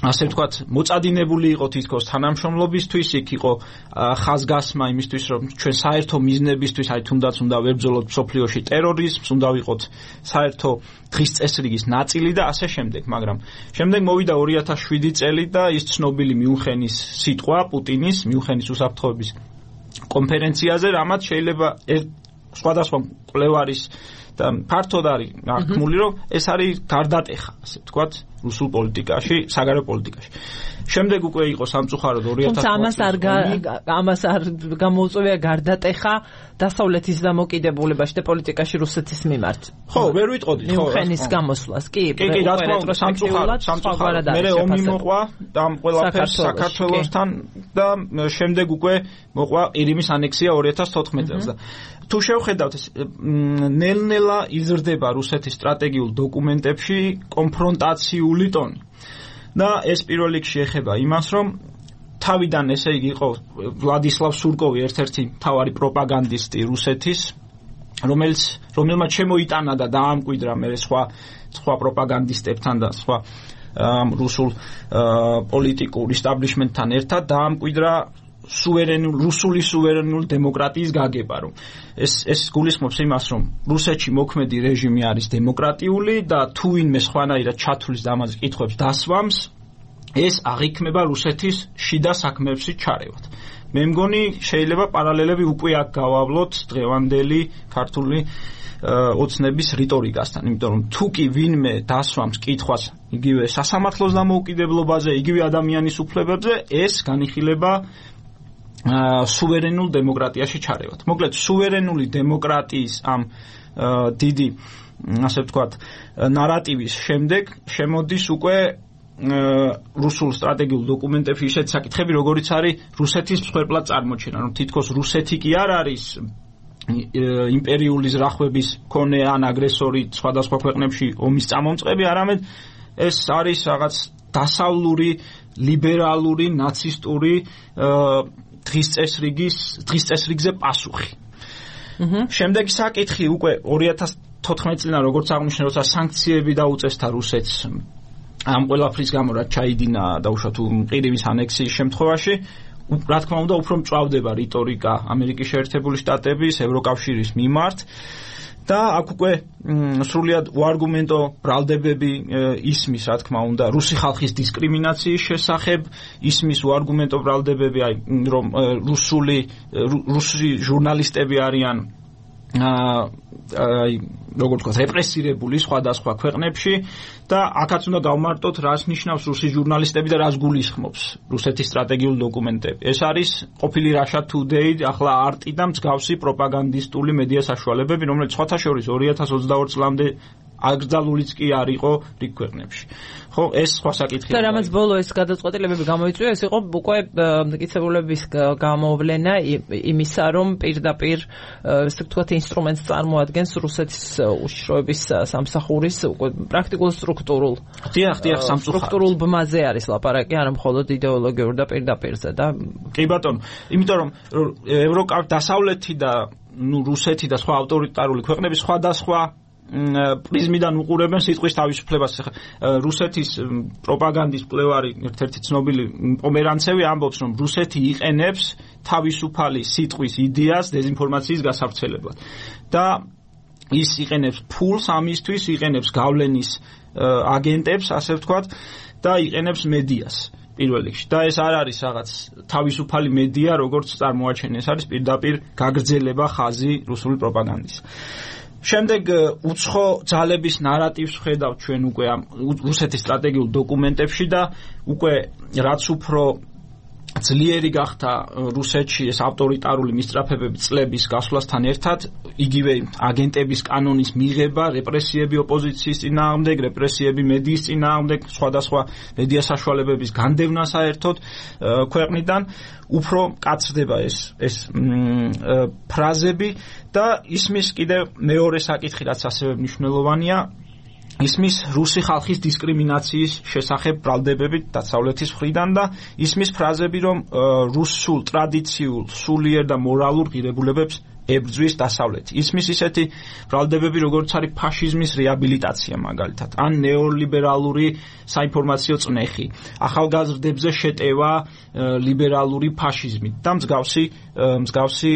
ასე ვთქვათ, მოწადინებული იყო თითქოს თანამშრომლობისთვის, იქ იყო ხაზგასმა იმისთვის, რომ ჩვენ საერთო მიზნებისთვის, აი თუნდაც უნდა ვებრძოლოთ მსოფლიოში ტერორიზმს, უნდა ვიყოთ საერთო დღის წესრიგის ნაწილი და ასე შემდეგ, მაგრამ შემდეგ მოვიდა 2007 წელი და ის ცნობილი მიუნხენის სიტყვა პუტინის, მიუნხენის უსაფრთხოების კონფერენციაზე, რამაც შეიძლება სხვადასხვა მკვლევარის და ფართოდ არის აღქმული, რომ ეს არის გარდატეხა, ასე ვთქვათ, რუსულ პოლიტიკაში, საგარეო პოლიტიკაში. შემდეგ უკვე იყო სამწუხაროდ 2000 ამას არ გამოუწვევია გარდატეხა დასავლეთის დამოკიდებულებაში და პოლიტიკაში რუსეთის მიმართ. ხო, ვერ ვიტყოდით, ხო. მიუნხენის გამოსვლას, კი, რა თქმა უნდა, სამწუხაროდ. მე ომი მოყვა ამ ყველაფერს საქართველოსთან და შემდეგ უკვე მოყვა ყირიმის ანექსია 2014 წელს და თუ შევხედავთ ეს ნელ-ნელა იზრდება რუსეთის სტრატეგიულ დოკუმენტებში კონფრონტაციული ტონი. და ეს პირველ რიგში ეხება იმას, რომ თავიდან ესე იგი იყო ვლადისლავ სურკოვი ერთ-ერთი მთავარი პროპაგანდისტი რუსეთის, რომელმაც შემოიტანა და დაამკვიდრა მე სხვა პროპაგანდისტებთან და სხვა რუსულ პოლიტიკურ ისტაბლიშმენტთან ერთად დაამკვიდრა რუსული სუვერენული დემოკრატიის გაგება, რომ ეს გულისხმობს იმას, რომ რუსეთში მოქმედი რეჟიმი არის დემოკრატიული და თუ ვინმე სხვანაირად ჩათვლის და ამაზე კითხვებს დასვამს, ეს აღიქმება რუსეთის შიდა საქმეებში ჩარევად. მე მგონი შეიძლება პარალელები უკვე აქ გავავლოთ დღევანდელი ქართული ოცნების რიტორიკასთან, იმიტომ რომ თუ კი ვინმე დასვამს კითხვას იგივე სასამართლოს დამოუკიდებლობაზე, იგივე ადამიანის უფლებებზე, ეს განიხილება სუვერენულ დემოკრატიაში ჩარევად. მოკლედ, სუვერენული დემოკრატიის ამ დიდი, ასე ვთქვათ, ნარატივის შემდეგ შემოდის უკვე რუსულ სტრატეგიულ დოკუმენტებში ისეთი საკითხები, როგორიც არის რუსეთის მსხვერპლად წარმოჩენა, რომ თითქოს რუსეთი კი არ არის იმპერიული ზრახვების მქონე ან აგრესორი სხვადასხვა ქვეყნებში ომის წამომწყები, არამედ ეს არის რაღაც დასავლური, ლიბერალური, ნაცისტური დღის წესრიგზე პასუხი. შემდეგი საკითხი უკვე 2014 წლიდან როგორც აღნიშნე, როცა სანქციები დაუწესდა რუსეთს ამ ყველაფრის გამო, რაც ჩაიდინა დაუშვათ ყირიმის ანექსიის შემთხვევაში, რა თქმა უნდა, უფრო მწვავდება რიტორიკა ამერიკის შეერთებული შტატების, ევროკავშირის მიმართ და აქ უკვე სრულიად უარგუმენტო ბრალდებები ისმის, რა თქმა უნდა, რუსი ხალხის დისკრიმინაციის შესახებ, ისმის უარგუმენტო ბრალდებები, აი რომ რუსი ჟურნალისტები არიან როგორც ვთქვათ, რეპრესირებული სხვადასხვა ქვეყნებში და აქაც უნდა გავმარტოთ, რას ნიშნავს რუსი ჟურნალისტები და რას გულისხმობს რუსეთის სტრატეგიული დოკუმენტები. ეს არის ყოფილი Russia Today, ახლა არტი და მსგავსი პროპაგანდისტული მედია საშუალებები, რომელიც სხვათა შორის 2022 წლამდე აკრძალულიც კი არ იყო რიგ ქვეყნებში. ხო, ეს სხვა საკითხია. და რამაც ბოლო ეს გადაწყვეტილებები გამოიწვია, ეს იყო უკვე მტკიცებულების გამოვლენა იმისა, რომ პირდაპირ ესე ვთქვათ ინსტრუმენტს წარმოადგენს რუსეთის უშიშროების სამსახურის უკვე პრაქტიკულ სტრუქტურულ. დიახ, სტრუქტურულ ბმაზე არის ლაპარაკი, არა მხოლოდ იდეოლოგიურ და პირდაპირზე და კი ბატონო, იმიტომ რომ დასავლეთი და რუსეთი და სხვა ავტორიტარული ქვეყნები სხვადასხვა პრიზმიდან უყურებენ სიტყვის თავისუფლებას. რუსეთის პროპაგანდის მკვლევარი ერთ-ერთი ცნობილი პომერანცევი ამბობს, რომ რუსეთი იყენებს თავისუფალი სიტყვის იდეას დეзинფორმაციის გასავრცელებლად და ის იყენებს ფულს ამისთვის, იყენებს გავლენის აგენტებს, ასე ვთქვათ, და იყენებს მედიას პირველ რიგში. და ეს არ არის რაღაც თავისუფალი მედია, როგორც წარმოაჩენენ, ეს არის პირდაპირ გაგრძელება ხაზი რუსული პროპაგანდის. შემდეგ უცხო ძალების ნარატივს ხედავთ ჩვენ უკვე რუსეთის სტრატეგიულ დოკუმენტებში და უკვე რაც უფრო ძლიერი გახდა რუსეთში ეს ავტორიტარული მისწრაფებები წლების გასვლასთან ერთად, იგივე აგენტების კანონის მიღება, რეპრესიები ოპოზიციის წინააღმდეგ, რეპრესიები მედიის წინააღმდეგ, სხვადასხვა მედია საშუალებების განდევნა საერთოდ ქვეყნიდან, უფრო კაცრდება ეს ფრაზები და ისმის კიდევ მეორე საკითხი, რაც ასევე მნიშვნელოვანია, ისმის რუსი ხალხის დისკრიმინაციის შესახებ ბრალდებებით დასავლეთის მხრიდან და ისმის ფრაზები, რომ რუსულ ტრადიციულ, სულიერ და მორალურ ღირებულებებს ებრძვის დასავლეთი. ისმის ისეთი ბრალდებები, როგორც არის ფაშიზმის რეაბილიტაცია მაგალითად, ან ნეოლიბერალური საინფორმაციო წნეხი, ახალგაზრდებზე შეტევა ლიბერალური ფაშიზმით და მსგავსი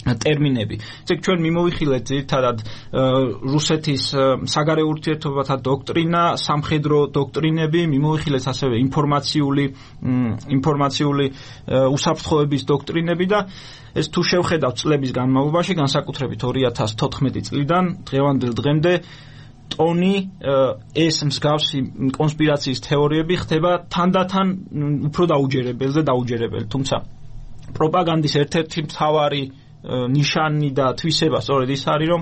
ტერმინები. ეგ ჩვენ მიმოვიხილეთ ძირითადად რუსეთის საგარეო ურთიერთობათა დოქტრინა, სამხედრო დოქტრინები, მიმოვიხილეთ ასევე ინფორმაციული უსაფრთხოების დოქტრინები და ეს თუ შევხედავთ წლების განმავლობაში, განსაკუთრებით 2014 წლიდან დღევანდელ დღემდე ტონი ეს მსგავსი კონსპირაციის თეორიები ხდება თანდათან უფრო დაუჯერებელი, თუმცა პროპაგანდის ერთ-ერთი მთავარი ნიშანი და თვისება სწორედ ის არის, რომ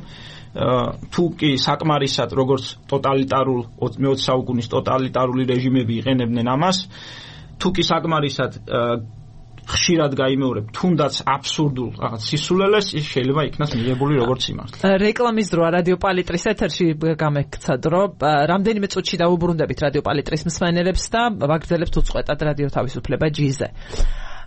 თუ კი საკმარისად როგორც ტოტალიტარულ მე-20 საუკუნის ტოტალიტარული რეჟიმები იყენებდნენ ამას, თუ კი საკმარისად ხშირად გაიმეორებ თუნდაც აბსურდულ რაღაც სისულელეს, ის შეიძლება იქნას მიღებული როგორც სიმართლე. რეკლამის დროა რადიო პალიტრის ეთერში გამექცად, რომ რამდენიმე წუთში დავუბრუნდებით რადიო პალიტრის მსმენელებს და ვაგრძელებთ უწყვეტად რადიო თავისუფლება G-ზე.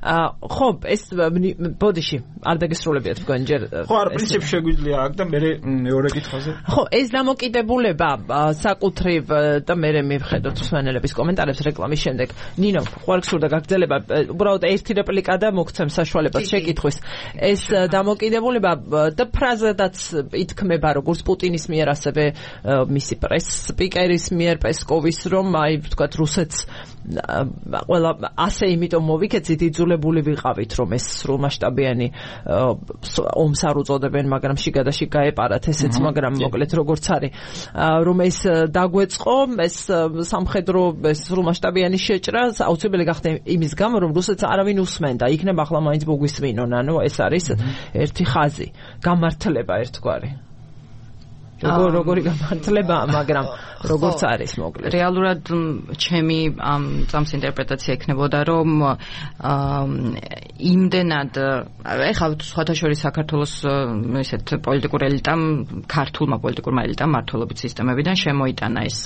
ხო, ეს ბოდიში არ დაგესრულებიათ თქვენ ჯერ. ხო, არ პრინციპი შეგვიძლია აქ და მეორე კითხვაზე. ხო, ეს დამოკიდებულება საკუთრივ და მე მივხედოთ მსმენელების კომენტარებს რეკლამის შემდეგ. ნინო, ხوارგსურდა გაგრძელება, უბრალოდ ერთი რეპლიკა და მოგცემ საშუალებას შეკითხვის. ეს დამოკიდებულება და ფრაზადაც ითქმება როგორც პუტინის მიერ, ასევე მისი პრეს-სპიკერის მიერ პესკოვის, რომ აი ვთქვათ რუსეთს ყველა ასე იმიტომ მოვიქეცით იძულებული ვიყავით, რომ ეს სრულმასშტაბიანი ომს არ უწოდებენ, მაგრამ შიგადაში გაეპარათ ესეც, მაგრამ მოკლედ როგორც არის, რომ ეს დაგვეწყო, ეს სამხედრო სრულმასშტაბიანი შეჭრა აუცილებელი გახდა იმის გამო, რომ რუსეთს არავინ უსმენდა, იქნება ახლა მაინც მოგვისმინონ, ანუ ეს არის ერთი ხაზი, გამართლება ერთგვარი. როგორი გამართლება, მაგრამ როგორც არის მოკლედ. რეალურად ჩემი წამს ინტერპრეტაცია ექნებოდა, რომ იმდენად ეხლა სხვათა შორის საქართველოს ესეთ პოლიტიკურ ელიტამ, ქართულმა პოლიტიკურმა ელიტამ მმართველობით სისტემებიდან შემოიტანა ეს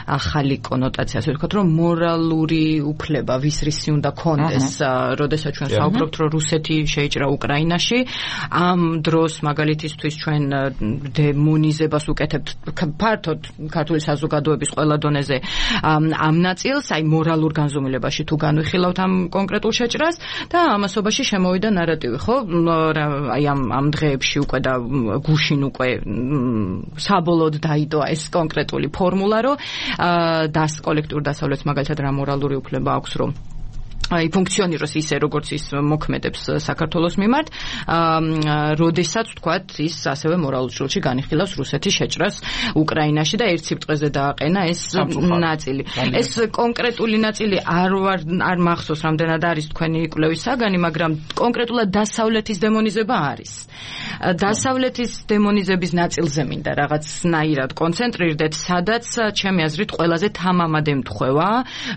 ახალი კონოტაცია, ასე ვთქვათ, რომ მორალური უფლება ვის რისი უნდა კონდეს, როდესაც ჩვენ საუბრობთ, რომ რუსეთი შეიჭრა უკრაინაში, ამ დროს მაგალითისთვის ჩვენ დემონიზებას უკეთებთ ფართოდ ქართული საზოგადოების ყველა დონეზე ამ ნაწილს, აი მორალურ განზომილებაში თუ განვიხილავთ ამ კონკრეტულ შეჭრას და ამასობაში შემოვიდა ნარატივი, ხო? აი ამ დღეებში უკვე და გუშინ უკვე საბოლოოდ დაიდოა ეს კონკრეტული ფორმულა, რომ კოლექტიურ დასავლეთს მაგალითად რა მორალური უფლება აქვს, რომ აი ფუნქციონიროს ისე როგორც ის მოქმედებს საქართველოს მიმართ, როდესაც ვთქვათ ის ასევე მორალურ ჭრილში განიხილავს რუსეთის შეჭრას უკრაინაში და ერთ სიბრტყეზე დააყენა ეს ნაწილი. ეს კონკრეტული ნაწილი არ მახსოვს რამდენად არის თქვენი კვლევის საგანი, მაგრამ კონკრეტულად დასავლეთის დემონიზება არის. დასავლეთის დემონიზების ნაწილზე მინდა რაღაცნაირად კონცენტრირდეთ, სადაც ჩემი აზრით ყველაზე თამამად ემთხვევა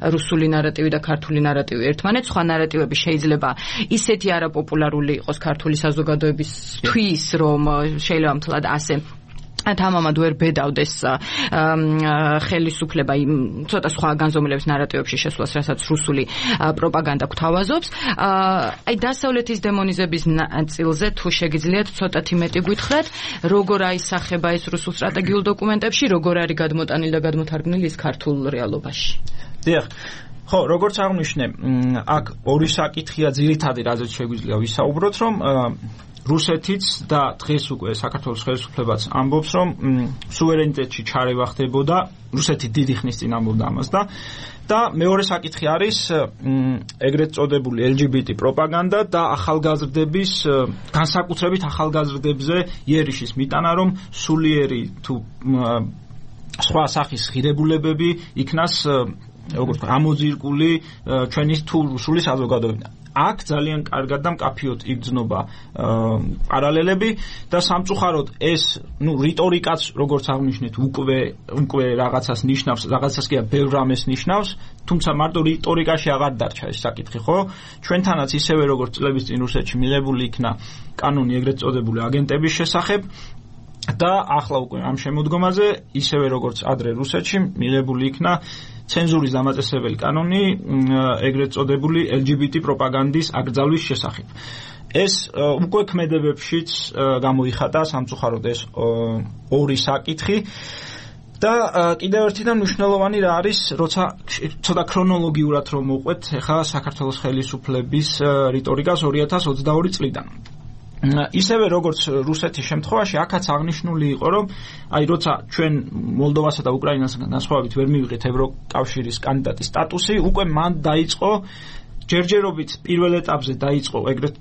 რუსული ნარატივი და ქართული ნარატივი ერთმანეთს, სხვა ნარატივები შეიძლება ისეთი არაპოპულარული იყოს ქართული საზოგადოებისთვის, რომ შეიძლება მთლად ასე თამამად ვერ ბედავდეს ხელისუფლება იმ ცოტა სხვა განზომილების ნარატივებში შესვლას, რასაც რუსული პროპაგანდა გვთავაზობს. აი დასავლეთის დემონიზების ნაწილზე თუ შეგიძლიათ ცოტათი მეტი გითხრათ, როგორ აისახება ეს რუსულ სტრატეგიულ დოკუმენტებში, როგორ არის გადმოტანილი და გადმოთარგმნილი ის ქართულ რეალობაში. დიახ. ხო, როგორც აღნიშნე, აქ ორი საკითხია ძირითადი, რაზეც შეგვიძლია ვისაუბროთ, რომ რუსეთიც და დღეს უკვე საქართველოს ხელისუფლებაც ამბობს, რომ სუვერენიტეტში ჩარევა ხდებოდა, რუსეთი დიდი ხნის წინ ამბობდა ამას და მეორე საკითხი არის ეგრეთ წოდებული LGBT პროპაგანდა და ახალგაზრდების, განსაკუთრებით ახალგაზრდებზე იერიშის მიტანა, რომ სულიერი თუ სხვა სახის ღირებულებები იქნას როგორც ვთქვა, ამოძირკული ჩვენი თუ რუსული საზოგადოებიდან. აქ ძალიან კარგად და მკაფიოდ იგრძნობა პარალელები და სამწუხაროდ ეს რიტორიკაც როგორც აღნიშნეთ უკვე რაღაცას ნიშნავს, რაღაცას კი ბევრ რამეს ნიშნავს, თუმცა მარტო რიტორიკაში აღარ დარჩა ეს საკითხი, ხო? ჩვენთანაც ისევე როგორც წლების წინ რუსეთში მიღებული იქნა კანონი ეგრეთ წოდებული აგენტების შესახებ და ახლა უკვე ამ შემოდგომაზე ისევე როგორც ადრე რუსეთში მიღებული იქნა ცენზურის დამაწესებელი კანონი ეგრეთ წოდებული LGBT პროპაგანდის აკრძალვის შესახებ. ეს უკვე ქმედებებშიც გამოიხატა სამწუხაროდ ეს ორი საკითხი და კიდევ ერთიდან მნიშვნელოვანი რა არის, როცა ცოტა ქრონოლოგიურად რომ მოყვეთ ახლა საქართველოს ხელისუფლების რიტორიკას 2022 წლიდან. ისევე როგორც რუსეთის შემთხვევაში აქაც აღნიშნული იყო, რომ აი როცა ჩვენ მოლდოვასა და უკრაინასთან განსხვავებით ვერ მივიღეთ ევროკავშირის კანდიდატის სტატუსი, უკვე მან დაიწყო ჯერჯერობით პირველ ეტაპზე დაიწყო ეგრეთ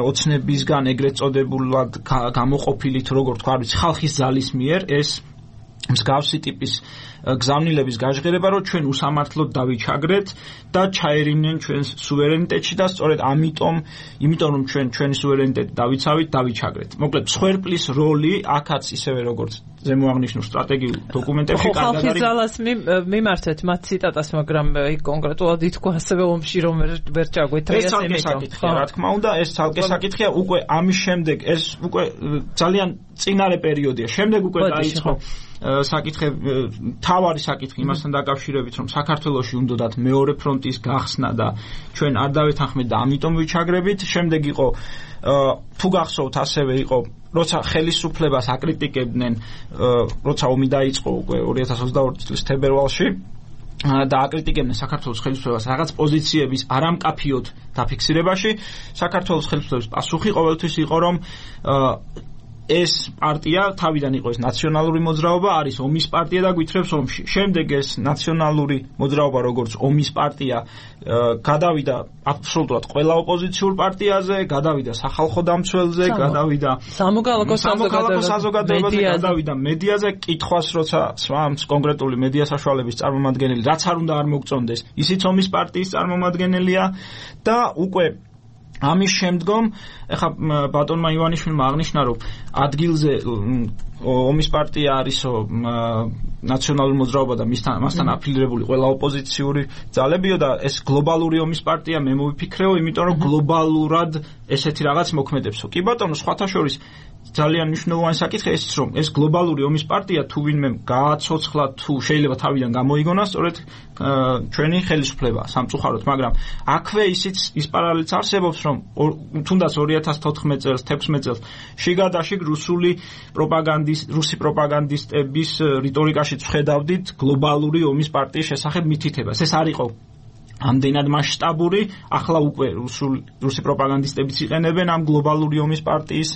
ოცნებისგან ეგრეთ წოდებულად გამოყოფილი თუ როგორ თქვა, არის ხალხის ძალის მიერ ეს მსგავსი ტიპის გზავნილების გაჟღერება, რომ ჩვენ უსამართლოდ დავიჩაგრეთ და ჩაერინნენ ჩვენს სუვერენიტეტში და სწორედ იმიტომ რომ ჩვენი სუვერენიტეტი დავიცავით, დავიჩაგრეთ. მოკლედ, მსხვერპლის როლი აქაც ისევე როგორც ზემო აღნიშნულ სტრატეგიულ დოკუმენტებში კარგად არის. ხალხის ძალას მიმართეთ მათ ციტატას, მაგრამ კონკრეტულად ითქვა ასევე ომში რომ ვერ ჩაგვეთ ეს ცალკე საკითხია, რა თქმა უნდა, ეს ცალკე საკითხია, უკვე ამის შემდეგ ეს უკვე ძალიან წინარე პერიოდია. შემდეგ უკვე დაიწყო საკითხები, თავარი საკითხი იმასთან დაკავშირებით, რომ საქართველოში უნდათ მეორე ფრონტის გახსნა და ჩვენ არ დავეთანხმეთ და ამიტომ ვიჩაგრებით. შემდეგ იყო თუ გახსოვთ ასევე იყო როცა ხელისუფლებას აკრიტიკებდნენ, როცა ომი დაიწყო უკვე 2022 წლის თებერვალში და აკრიტიკებდნენ საქართველოს ხელისუფლებას რაღაც პოზიციების არამკაფიოდ დაფიქსირებაში, საქართველოს ხელისუფლების პასუხი ყოველთვის იყო, რომ ეს პარტია თავიდან იყო ეს ნაციონალური მოძრაობა, არის ომის პარტია და გვითხრებს ომში. შემდეგ ეს ნაციონალური მოძრაობა როგორც ომის პარტია გადავიდა აბსოლუტურად ყველა ოპოზიციურ პარტიაზე, გადავიდა სახალხო დამცველზე, გადავიდა სამოქალაქო საზოგადოებაზე, გადავიდა მედიაზე, კითხვას როცა სვამს კონკრეტული მედია საშუალების წარმომადგენელი, რაც არ უნდა არ მოგწონდეს, ისიც ომის პარტიის წარმომადგენელია და უკვე ამის შემდგომ ეხა ბატონმა ივანიშვილმა აღნიშნა, რომ ადგილზე ომის პარტია არისო ნაციონალური მოძრაობა და მასთან აფილირებული ყველა ოპოზიციური ძალებიო და ეს გლობალური ომის პარტია მე მოვიფიქრეო, იმიტომ რომ გლობალურად ესეთი რაღაც მოქმედებსო. კი ბატონო, სხვათა შორის ძალიან მნიშვნელოვანი საკითხია ის, რომ ეს გლობალური ომის პარტია თუ ვინმე გააცოცხლა, თუ შეიძლება თავიდან გამოიგონა, სწორედ ჩვენი ხელისუფლება სამწუხაროდ, მაგრამ აქვე ის პარალელიც არსებობს, რომ თუნდაც 2014 წელს, 16 წელს შიგადაშიგ რუსი პროპაგანდისტების რიტორიკაშიც ვხედავდით გლობალური ომის პარტიის შესახებ მითითებას. ეს არ იყო ამდენად მასშტაბური, ახლა უკვე რუსი პროპაგანდისტებიც იყენებენ ამ გლობალური ომის პარტიის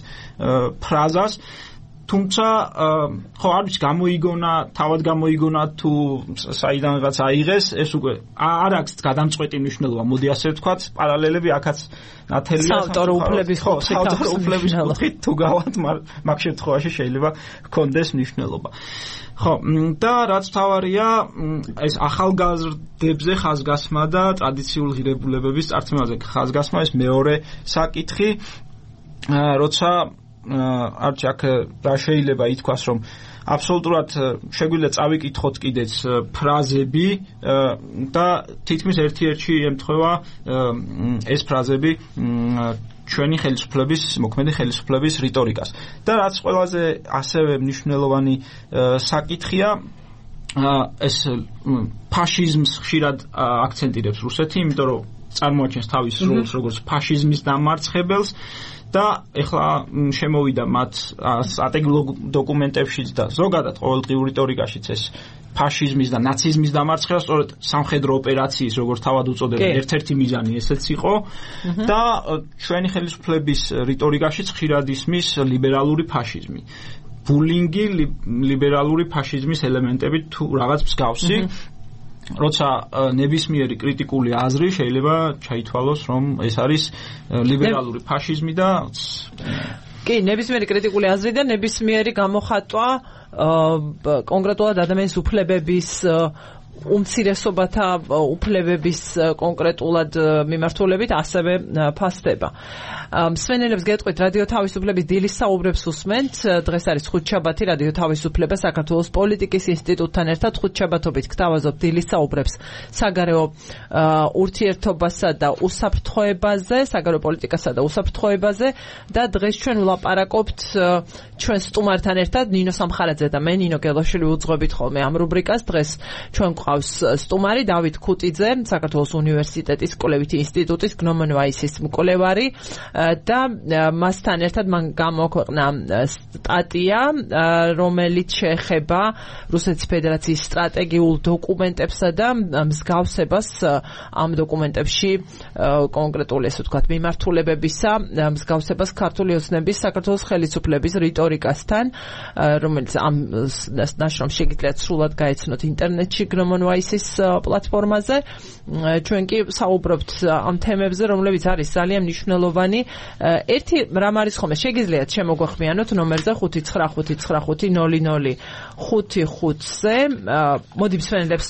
ფრაზას. თუმცა ხო არ ვიცი თავად გამოიგონა თუ საიდანღაც აიღეს, ეს უკვე არ აქვს გადამწყვეტი მნიშვნელობა, მოდი ასე ვთქვათ, პარალელები აქაც ნათელია საავტორო უფლების კუთხით თუ გავად, მაგ შემთხვევაში შეიძლება ჰქონდეს მნიშვნელობა. ხო, და რაც თავარია, ეს ახალგაზრდებზე ხაზგასმა და ტრადიციულ ღირებულებების წარსულზე ხაზგასმა, ეს მეორე საკითხი, როცა არჩ აქ რა შეიძლება ითქვას, რომ აბსოლუტურად შეგვიძლია წავიკითხოთ კიდეც ფრაზები და თითქმის ერთ-ერთი ემთხვევა ეს ფრაზები ჩვენი ხელისუფლების, მოქმედი ხელისუფლების რიტორიკას. და რაც ყველაზე ასევე მნიშვნელოვანი საკითხია, ეს ფაშიზმს ხშირად აქცენტირებს რუსეთი, იმიტომ რომ წარმოაჩენს თავის როლს როგორც ფაშიზმის დამარცხებელს და ეხლა შემოვიდა მათ სტრატეგიულ დოკუმენტებშიც და ზოგადად ყოველდღიურ რიტორიკაშიც ეს ფაშიზმის და ნაციზმის დამარცხება, სწორედ სამხედრო ოპერაციის, როგორც თავად უწოდებენ, ერთ-ერთი მიზანი ესეც იყო და ჩვენი ხელისუფლების რიტორიკაშიც ხშირად ისმის ლიბერალური ფაშიზმი. ბულინგი ლიბერალური ფაშიზმის ელემენტებით თუ რაღაც მსგავსი, როცა ნებისმიერი კრიტიკული აზრი შეიძლება ჩაითვალოს, რომ ეს არის ლიბერალური ფაშიზმი და კი, ნებისმიერი კრიტიკული აზრი და ნებისმიერი გამოხატვა კონკრეტულად ადამიანის უფლებების უმცირესობათა უფლებების კონკრეტულად მიმართულებით ასევე ფასდება. მსმენელებს გეტყვით რადიო თავისუფლების დილის საუბრებს უსმენთ. დღეს არის ხუთშაბათი, რადიო თავისუფლება საქართველოს პოლიტიკის ინსტიტუტთან ერთად ხუთშაბათობით გთავაზობთ დილის საუბრებს საგარეო ურთიერთობასა და უსაფრთხოებაზე, საგარეო პოლიტიკასა და უსაფრთხოებაზე და დღეს ჩვენ ვლაპარაკობთ ჩვენ სტუმართან ერთად ნინო სამხარაძე და მე ნინო გელოშვილი უძღვებით ხოლმე ამ რუბრიკას. დღეს ჩვენ გვყავს სტუმარი დავით ქუტიძე, საქართველოს უნივერსიტეტის კვლევითი ინსტიტუტის გნომონ-ვაისის მკვლევარი და მასთან ერთად მან გამოქვეყნა სტატია, რომელიც შეეხება რუსეთის ფედერაციის სტრატეგიულ დოკუმენტებსა და მსგავსებას ამ დოკუმენტებში კონკრეტული ესე ვთქვათ მიმართულებებისა, მსგავსებას ქართული ოცნების საქართველოს ხელისუფლების რიტორიკასთან, რომელიც ამ ნაშრომს შეგიძლიათ სრულად გაეცნოთ ინტერნეტში გნომონ-ვაისის პლატფორმაზე. ჩვენ კი საუბრობთ ამ თემებზე, რომლებიც არის ძალიან მნიშვნელოვანი. ერთი რამ არის ხოლმე შეგიძლიათ შემოგვეხმიანოთ ნომერზე 5950055-ზე. მოდი მსმენელებს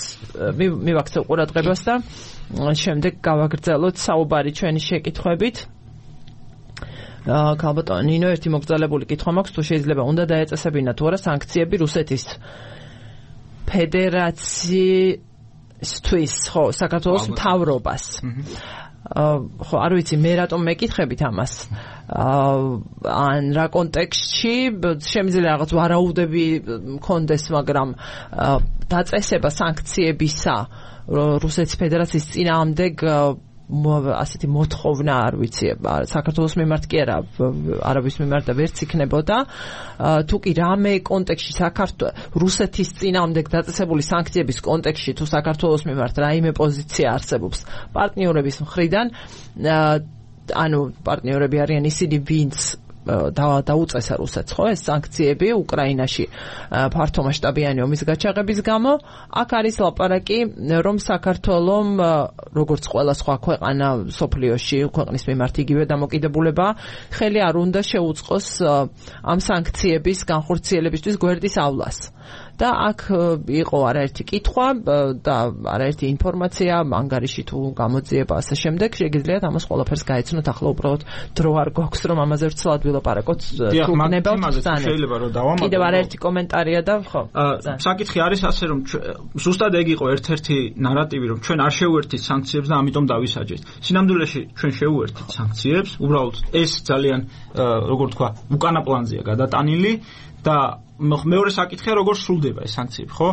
მივაქცევ ყურადღებას და შემდეგ გავაგრძელოთ საუბარი ჩვენი შეკითხვებით. ქალბატონო ნინო, ერთი მოგრძალებული კითხვა მაქვს, თუ შეიძლება უნდა დაეწესებინა თუ არა სანქციები რუსეთის ფედერაციისთვის, ხო, საქართველოს მთავრობას. ხო, არ ვიცი მე რატომ მეკითხებით ამას. ან რა კონტექსტში შემიძლია რაღაც ვარაუდები მქონდეს, მაგრამ დაწესება სანქციებისა რუსეთის ფედერაციის წინააღმდეგ ასეთი მოთხოვნა არ ვიცი საქართველოს მიმართ კი არა არაბის მიმართ და ვერც იქნებოდა. თუ კი რამე კონტექსტში რუსეთის წინააღმდეგ დაწესებული სანქციების კონტექსტში თუ საქართველოს მიმართ რაიმე პოზიცია არსებობს პარტნიორების მხრიდან, ანუ პარტნიორები არიან ისინი, ვინც დაუწესა რუსეთს, ხო, ეს სანქციები უკრაინაში ფართომასშტაბიანი ომის გაჩაღების გამო. აქ არის ლაპარაკი, რომ საქართველომ, როგორც ყველა სხვა ქვეყანა სოფლიოში, ქვეყნის მიმართ იგივე დამოკიდებულება, ხელი არ უნდა შეუწყოს ამ სანქციების განხორციელებისთვის გვერდისავლას. და აქ იყო არაერთი კითხვა და არაერთი ინფორმაცია, ანგარიში თუ გამოძიება ასე შემდეგ. შეგიძლიათ ამას ყველაფერს გაეცნოთ. ახლა უბრალოდ დრო არ გვაქვს, რომ ამაზე ვცლად ვილაპარაკოთ. თუ გნებავთ შეიძლება რომ დავამატო. კიდევ არაერთი კომენტარია და ხო. საკითხი არის ასე, რომ ზუსტად ეგ იყო ერთ-ერთი ნარატივი, რომ ჩვენ არ შევუერთდით სანქციებს და ამიტომ დავისაჯეთ. სინამდვილეში ჩვენ შევუერთდით სანქციებს, უბრალოდ ეს ძალიან როგორ თქვა, უკანა პლანზეა გადატანილი და მეორე საკითხია, როგორ სრულდება ეს სანქციები, ხო?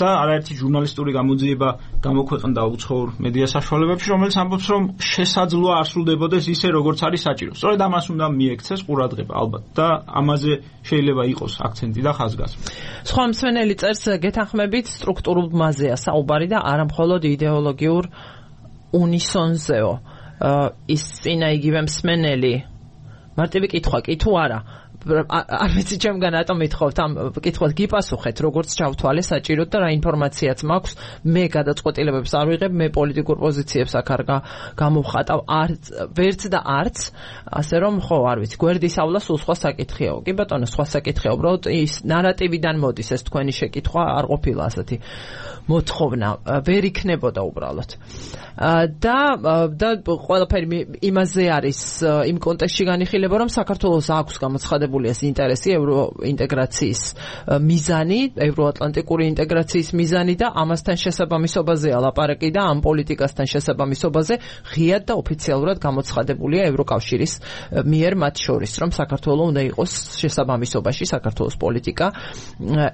და არაერთი ჟურნალისტური გამოძიება გამოქვეყნდა უცხოურ მედია საშუალებებში, რომელიც ამბობს, რომ შესაძლოა არ სრულდებოდეს ისე, როგორც არის საჭირო. სწორედ ამას უნდა მიექცეს ყურადღება, ალბათ, და ამაზე შეიძლება იყოს აქცენტი და ხაზგასმა. სხვა მსმენელი წერს, გეთანხმებით, სტრუქტურულ მაზეა საუბარი და არა მხოლოდ იდეოლოგიურ უნისონზეო. ის წინა იგივე მსმენელი მარტივი კითხვა კი თუ არა? არ ვიცი ჩემგან რატომ მithხოვთ ამ კითხვას გიპასუხეთ, როგორც ჩავთვალე საჭიროდ და რა ინფორმაციაც მაქვს. მე გადაწყვეტილებებს არ ვიღებ, მე პოლიტიკურ პოზიციებს აქ არ გამოვხატავ ვერც და არც, ასე რომ ხო, არ ვიცი, გვერდის ავლა სულ სხვა საკითხია. კი ბატონო, სხვა საკითხია, უბრალოდ ის ნარატივიდან მოდის ეს თქვენი შეკითხვა, არ ყოფილა ასეთი მოთხოვნა, ვერ იქნებოდა უბრალოდ. და ყველაფერი იმაზე არის იმ კონტექსტში განიხილება, რომ საქართველოს აქვს გამოცხადებული ეს ინტერესი ევროინტეგრაციის მიზანი, ევროატლანტიკური ინტეგრაციის მიზანი და ამასთან შესაბამისობაზეა ლაპარაკი და ამ პოლიტიკასთან შესაბამისობაზე ღიად და ოფიციალურად გამოცხადებულია ევროკავშირის მიერ მათ შორის, რომ საქართველო უნდა იყოს შესაბამისობაში საქართველოს პოლიტიკა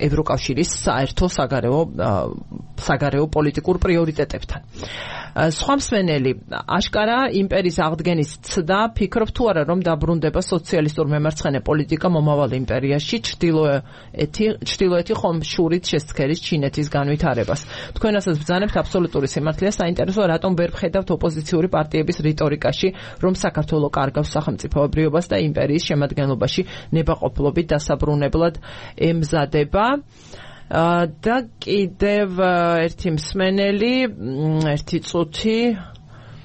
ევროკავშირის საერთო საგარეო პოლიტიკურ პრიორიტეტებთან. სხვა მსმენელი აშკარა იმპერიის აღდგენის ცდა, ფიქრობ თუ არა, რომ დაბრუნდება სოციალისტურ მემარცხენე პოლიტიკა მომავალ იმპერიაში, ჩრდილოეთი ხომ შურით შესცქერის ჩინეთის განვითარებას. თქვენ ასაც ბრძანებთ აბსოლუტური სიმართლეა, საინტერესოა, რატომ ვერ ვხედავთ ოპოზიციური პარტიების რიტორიკაში, რომ საქართველო კარგავს სახელმწიფოებრიობას და იმპერიის შემადგენლობაში ნებაყოფლობით დასაბრუნებლად ემზადება. და კიდევ ერთი მსმენელი, ერთი წუთი,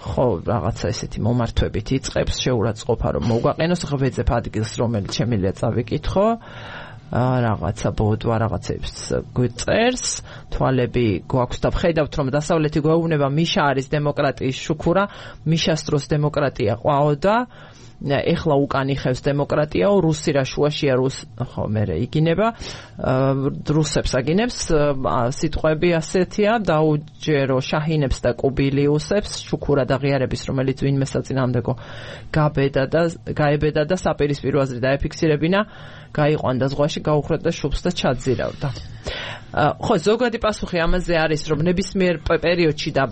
ხო, რაღაცა ესეთი მომართვებით იწყებს, შეურაცხყოფა რომ მოგვაყენოს, ღვეძებ ადგილს, რომელიც შემიძლია წავიკითხო. რაღაცა ბოდვა რაღაცებს გვწერს, თვალები გვაქვს და ხედავთ რომ დასავლეთი გვეუბნება მიშა არის დემოკრატიის შუქურა, მიშას დროს დემოკრატია ყვაოდა, ეხლა უკან იხევს დემოკრატიაო, რუსი რა შუაშია ხო მერე იგინება, რუსებს აგინებს, სიტყვები ასეთია, დაუჯერო შაჰინებს და კუბილიუსებს, შუქურა და ღიარების, რომელიც ვინმე საწინააღმდეგო გაებედა და საპირისპირო აზრი დაეფიქსირებინა, გაიყვანდა ზღვაში, გაუხრდა შუბს და ჩაძირავდა. ხო, ზოგადი პასუხი ამაზე არის, რომ ნებისმიერ პერიოდში და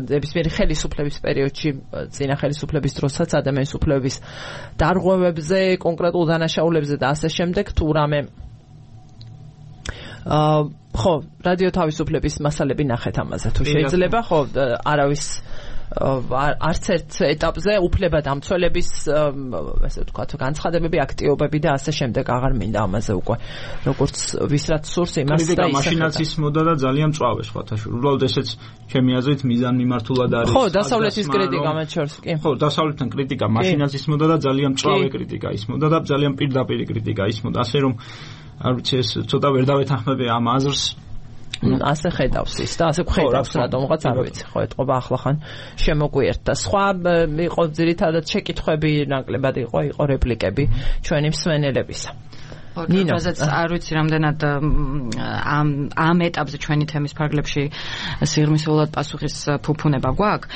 ნებისმიერი ხელისუფლების პერიოდში, წინა ხელისუფლების დროსაც ადამიანის უფლებების დარღვევებზე, კონკრეტულ დანაშაულებზე და ასე შემდეგ, თუ რამე ხო, რადიო თავისუფლების მასალები ნახეთ ამაზე, თუ შეიძლება, ხო, არავის არც ერთ ეტაპზე უფლება დამცველების ესე ვთქვათ განცხადებები, აქტიობები და ასე შემდეგ აღარ მინდა ამაზე უკვე როგორც ვისრაც სურს იმას და ისე მაშინაც ისმოდა და ძალიან მწვავე სხვათაშორ. უბრალოდ ესეც ჩემი აზრით მიზანმიმართულად არის. ხო, დასავლეთის კრიტიკა მათ შორის კი. ხო, დასავლეთთან კრიტიკა მაშინაც ისმოდა და ძალიან მწვავე კრიტიკა ისმოდა და ძალიან პირდაპირი კრიტიკა ისმოდა. ასე რომ არ ვიცი ეს ცოტა ვერ დავეთანხმები ამ აზრს. ასე ხედავს ის და ასე ხედავს რატომღაც არ ვიცი ხო ეთყობა ახლახან შემოგვიერთდა სხვა იყო ძირითადად შეკითხვები ნაკლებად იყო რეპლიკები ჩვენი მსმენელებისა ნინოზეც არ ვიცი რამდენად ამ ეტაპზე ჩვენი თემის ფარგლებში სიღრმისეულად პასუხის ფუფუნება გვაქვს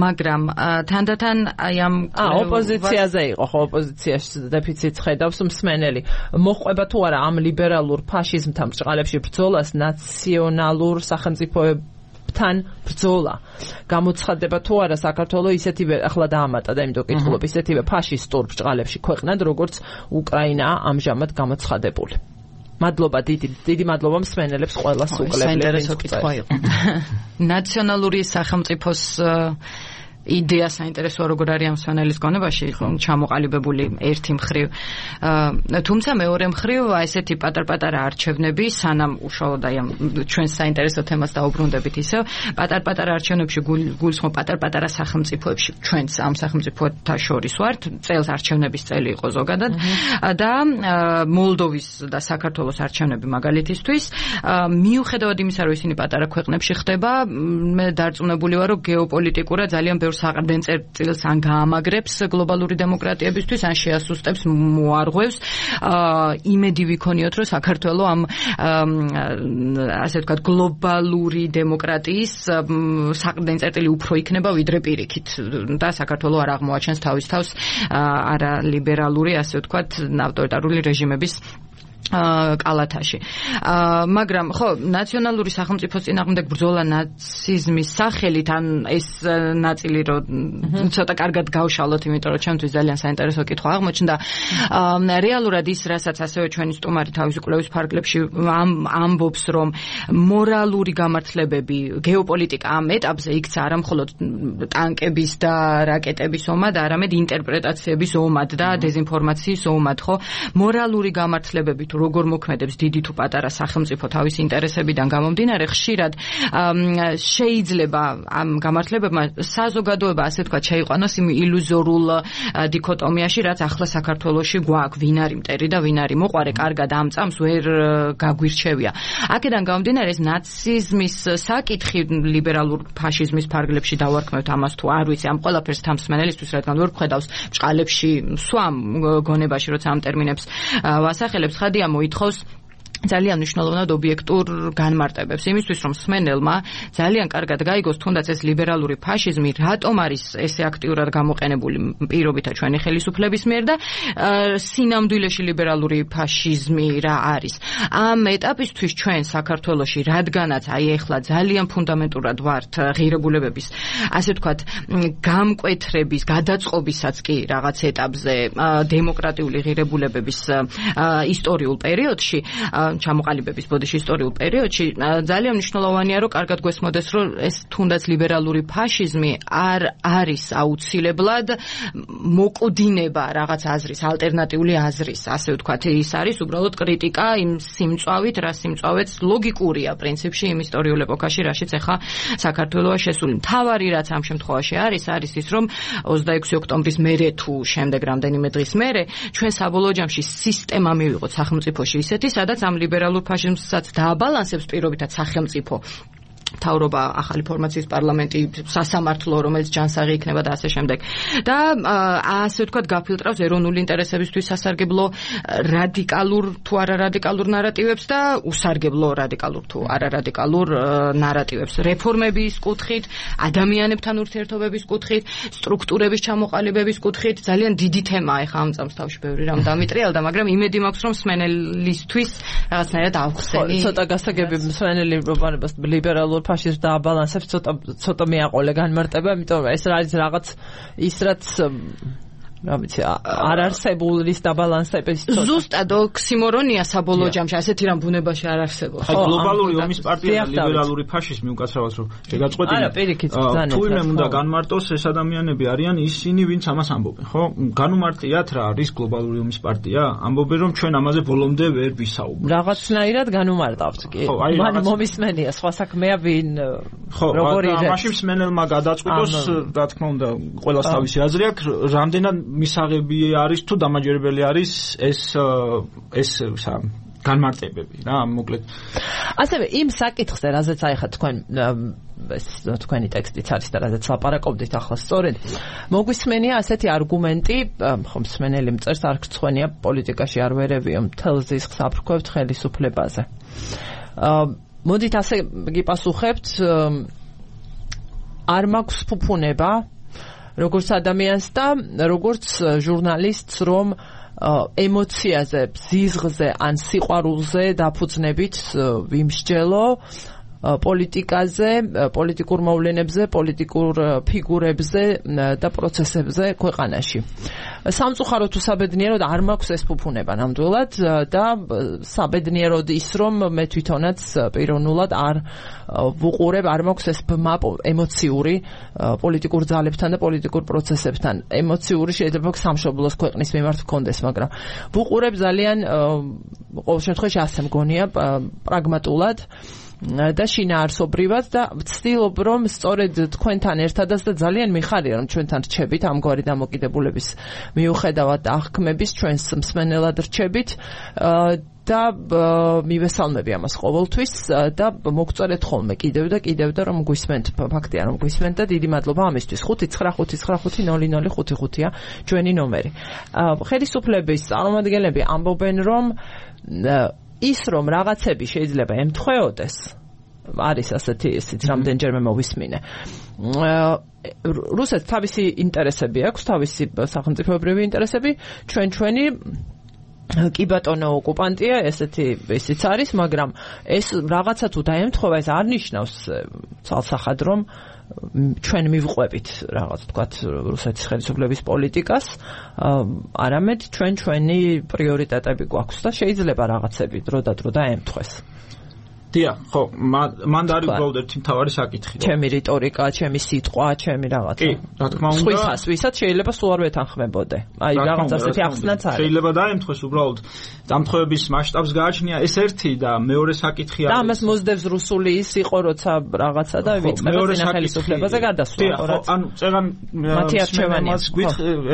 მაგრამ თანდათან აი ამ ოპოზიციაზე იყო ხო ოპოზიციაში დეფიციტს ხედავს მსმენელი მოყვება თუ არა ამ ლიბერალურ ფაშიზმთან ბრჭყალებში ბრძოლას ნაციონალურ სახელმწიფოებთან ბრძოლა გამოცხადდება თუ არა საქართველოს ისეთივე ახლა დაამატა და იმიტომ კითხულობ ისეთივე ფაშისტურ ბრჭყალებში ქვეყნად როგორც უკრაინაა ამჟამად გამოცხადებული მადლობა დიდი მადლობა მსმენელებს ყველას უკლებლებს საინტერესო კითხვა იყო ნაციონალური სახელმწიფოს იდეა საინტერესოა როგორ არის ამ მსმენელის გონებაში ჩამოყალიბებული ერთი მხრივ თუმცა მეორე მხრივ ესეთი პატარ-პატარა არჩევნები სანამ უშუალოდ აი ამ ჩვენ საინტერესო თემას დაუბრუნდებით ისევ პატარ-პატარა არჩევნებში გულისხმობ პატარ-პატარა სახელმწიფოებში ჩვენც ამ სახელმწიფოთა შორის ვართ წელს არჩევნების წელი იყო ზოგადად და მოლდოვის და საქართველოს არჩევნები მაგალითისთვის მიუხედავად იმისა რომ ისინი პატარა ქვეყნებში ხდება მე დარწმუნებული ვარ რომ გეოპოლიტიკურად ძალიან საყრდენწერტილს ან გაამაგრებს გლობალური დემოკრატიებისთვის ან შეასუსტებს მოარღვევს იმედი ვიქონიოთ რომ საქართველოს ამ ასე ვთქვათ გლობალური დემოკრატიის საყრდენწერტილი უფრო იქნება ვიდრე პირიქით და საქართველოს არ აღმოაჩენს თავის თავს არა ლიბერალური ასე ვთქვათ ავტორიტარული რეჟიმების კალათაში. მაგრამ ხო, ნაციონალური სახელმწიფოს წინააღმდეგ ბრძოლა ნაციზმის სახელით ან ეს ნაწილი რომ ცოტა კარგად გავშალოთ, იმიტომ რომ ჩემთვის ძალიან საინტერესო კითხვა აღმოჩნდა. რეალურად ის, რასაც ასევე ჩვენი სტუმარი თავის კვლევის ფარგლებში ამბობს, რომ მორალური გამართლებები, გეოპოლიტიკა ამ ეტაპზე იქცა არა მხოლოდ ტანკების და რაკეტების ომად, არამედ ინტერპრეტაციების ომად და დეზინფორმაციის ომად, ხო? მორალური გამართლებები როგორ მოქმედებს დიდი თუ პატარა სახელმწიფო თავის ინტერესებიდან გამომდინარე ხშირად შეიძლება ამ გამართლებებმა საზოგადოება ასე თქვა შეიყვანოს იმ ილუზორულ დიქოტომიაში რაც ახლა საქართველოში გვაქვს ვინ არის მტერი და ვინ არის მოყვარე კარგად ამ წამს ვერ გაგვირჩევია აქედან გამომდინარე ეს ნაციზმის საკითხი ლიბერალურ ფაშიზმის ფარგლებში დავარქმევთ ამას თუ არ ვიცი ამ ყველაფერს თამსმენელისთვის რადგან ვერ ხედავს ბჭყალებში სვამ გონებაში როცა ამ ტერმინებს ვასახელებს ხადია მოითხოვს ძალიან მნიშვნელოვნად ობიექტურ განმარტებებს იმისთვის რომ მსმენელმა ძალიან კარგად გაიგოს თუნდაც ეს ლიბერალური ფაშიზმი რატომ არის ესე აქტიურად გამოყენებული პირობითა ჩვენი ხელისუფლების მიერ და სინამდვილეში ლიბერალური ფაშიზმი რა არის ამ ეტაპისთვის ჩვენ საქართველოში რადგანაც აი ეხლა ძალიან ფუნდამენტურად ვართ ღირებულებების ასე ვთქვათ გამკვეთრების გადაწყობისაც კი რაღაც ეტაპზე დემოკრატიული ღირებულებების ისტორიულ პერიოდში ჩამოყალიბების ბოდიში ისტორიულ პერიოდში ძალიან მნიშვნელოვანია რომ კარგად გვესმოდეს რომ ეს თუნდაც ლიბერალური ფაშიზმი არ არის აუცილებლად მოკვდინება რაღაც აზრის, ალტერნატიული აზრის, ასე ვთქვათ, ის არის უბრალოდ კრიტიკა იმ სიმწვავით, რა სიმწვავეც ლოგიკურია პრინციპში იმ ისტორიულ ეპოქაში, რაშიც ახლა საქართველოა შესული. მთავარი რაც ამ შემთხვევაში არის ის რომ 26 ოქტომბრის მერე თუ შემდეგ რამდენიმე დღის მერე ჩვენ საბოლოო ჯამში სისტემა მივიღოთ სახელმწიფოში ისეთი, სადაც ამ ლიბერალურ ფაშიზმსაც დააბალანსებს პირობითად სახელმწიფო მთავრობა, ახალი ფორმაციის პარლამენტი, სასამართლო, რომელიც ჯანსაღი იქნება და ასე შემდეგ. და ასე ვთქვათ, გაფილტრავს ეროვნული ინტერესებისთვის სასარგებლო რადიკალურ თუ არარადიკალურ ნარატივებს და უსარგებლო რადიკალურ თუ არარადიკალურ ნარატივებს. რეფორმების კუთხით, ადამიანებთან ურთიერთობების კუთხით, სტრუქტურების ჩამოყალიბების კუთხით ძალიან დიდი თემაა ახლა ამ წამს თავში ბევრი რამ დამიტრიალდა, მაგრამ იმედი მაქვს, რომ მსმენელისთვის რაღაცნაირად ავხსენი. ცოტა გასაგები მსმენელი პროპაგანდას ლიბერალურ ფაშიზმს დააბალანსებს ცოტა მიაყოლე განმარტება, იმიტომ რომ ეს არის რაღაც ის რაც რა ვიცი არ არსებულის დაბალანსების ზუსტად ოქსიმორონია საბოლოო ჯამში, ასეთი რამ ბუნებაში არ არსებობს. აი გლობალური ომის პარტია და ლიბერალური ფაშიზმი უკაცრავად რომ შეგაწყვეტინა. არა, პირიქით ბრძანება. თუ იმ უნდა განმარტოს ეს ადამიანები არიან ისინი, ვინც ამას ამბობენ, ხო? განუმარტიათ რა არის გლობალური ომის პარტია? ამბობენ რომ ჩვენ ამაზე ბოლომდე ვერ ვისაუბრებთ. რაღაცნაირად განუმარტავთ კი. მან მომისმენია სხვა საქმეა ვინ როგორი ხო, მაშინ მსმენელმა გადაწყვიტოს, რა თქმა უნდა, ყველას თავისი აზრი აქვს, რამდენად მისაღები არის თუ დამაჯერებელი არის ეს განმარტებები რა მოკლედ. ასევე იმ საკითხზე, რაზეც აი ხა თქვენი ტექსტიც არის და რაზეც ლაპარაკობდით ახლა სწორედ მოგვისმენია ასეთი არგუმენტი, ხომ მსმენელი მწერს არ გწვენია პოლიტიკაში არ ვერევიო მთელ ზისხს აფრქვევთ ხელისუფლებაზე. მოდით ასე გიპასუხებთ, არ მაქვს ფუფუნება როგორც ადამიანს და როგორც ჟურნალისტს, რომ ემოციაზე, ზიზღზე ან სიყვარულზე დაფუძნებით ვიმსჯელო პოლიტიკაზე, პოლიტიკურ მოვლენებზე, პოლიტიკურ ფიგურებზე და პროცესებზე ქვეყანაში. სამწუხაროდ თუ საბედნიეროდ არ მაქვს ეს ფუფუნება ნამდვილად და საბედნიეროდ ის რომ მე თვითონაც პიროვნულად არ ვუყურებ, არ მაქვს ეს ბმა ემოციური პოლიტიკურ ძალებთან და პოლიტიკურ პროცესებთან. ემოციური შეიძლება სამშობლოს ქვეყნის მიმართ გქონდეს, მაგრამ ვუყურებ ძალიან ყოველ შემთხვევაში ასე მგონია პრაგმატულად და შინაარსობრივად და ვცდილობ რომ სწორედ თქვენთან ერთადაც და ძალიან მიხარია რომ ჩვენთან რჩებით ამგვარი დამოკიდებულების მიუხედავად და აღქმების ჩვენს მსმენელად რჩებით და მივესალმები ამას ყოველთვის და მოგწერეთ ხოლმე კიდევ და რომ გვისმენთ, ფაქტია რომ გვისმენთ და დიდი მადლობა ამისთვის. 595500555-ია ჩვენი ნომერი. ხელისუფლების წარმომადგენლები ამბობენ რომ ის რომ რაღაცები შეიძლება ემთხვეოდეს, არის ასეთი ისიც რამდენჯერმე მოვისმინე. რუსეთს თავისი ინტერესები აქვს, თავისი სახელმწიფოებრივი ინტერესები, ჩვენი კი ბატონო ოკუპანტია, ესეთი ისიც არის, მაგრამ ეს რაღაცა თუ დაემთხვევა, ეს არ ნიშნავს ცალსახად რომ ჩვენ მივყვებით რაღაც თქვათ რუსეთის ხელისუფლების პოლიტიკას, არამედ ჩვენი პრიორიტეტები გვაქვს და შეიძლება რაღაცები დრო და დრო დაემთხვეს. დიახ, ხო, მან დაარღვევდა ერთი მთავარი საკითხი. ჩემი რიტორიკა, ჩემი სიტყვა, ჩემი რაღაცა. კი, რა თქმა უნდა. ვისაც შეიძლება სულ არ ვეთანხმებოდე. აი, რაღაც ასეთი ახსნაც არის. შეიძლება დაემთხვეს უბრალოდ დამთხვევების მასშტაბს გააჩნია ეს ერთი და მეორე საკითხი არის. და ამას მოსდევს რუსული ის იყო, როცა რაღაცა და ვიწყება წინა ხელისუფლებაზე გადასვლა. ხო, ანუ წერან მათიარჩევანია.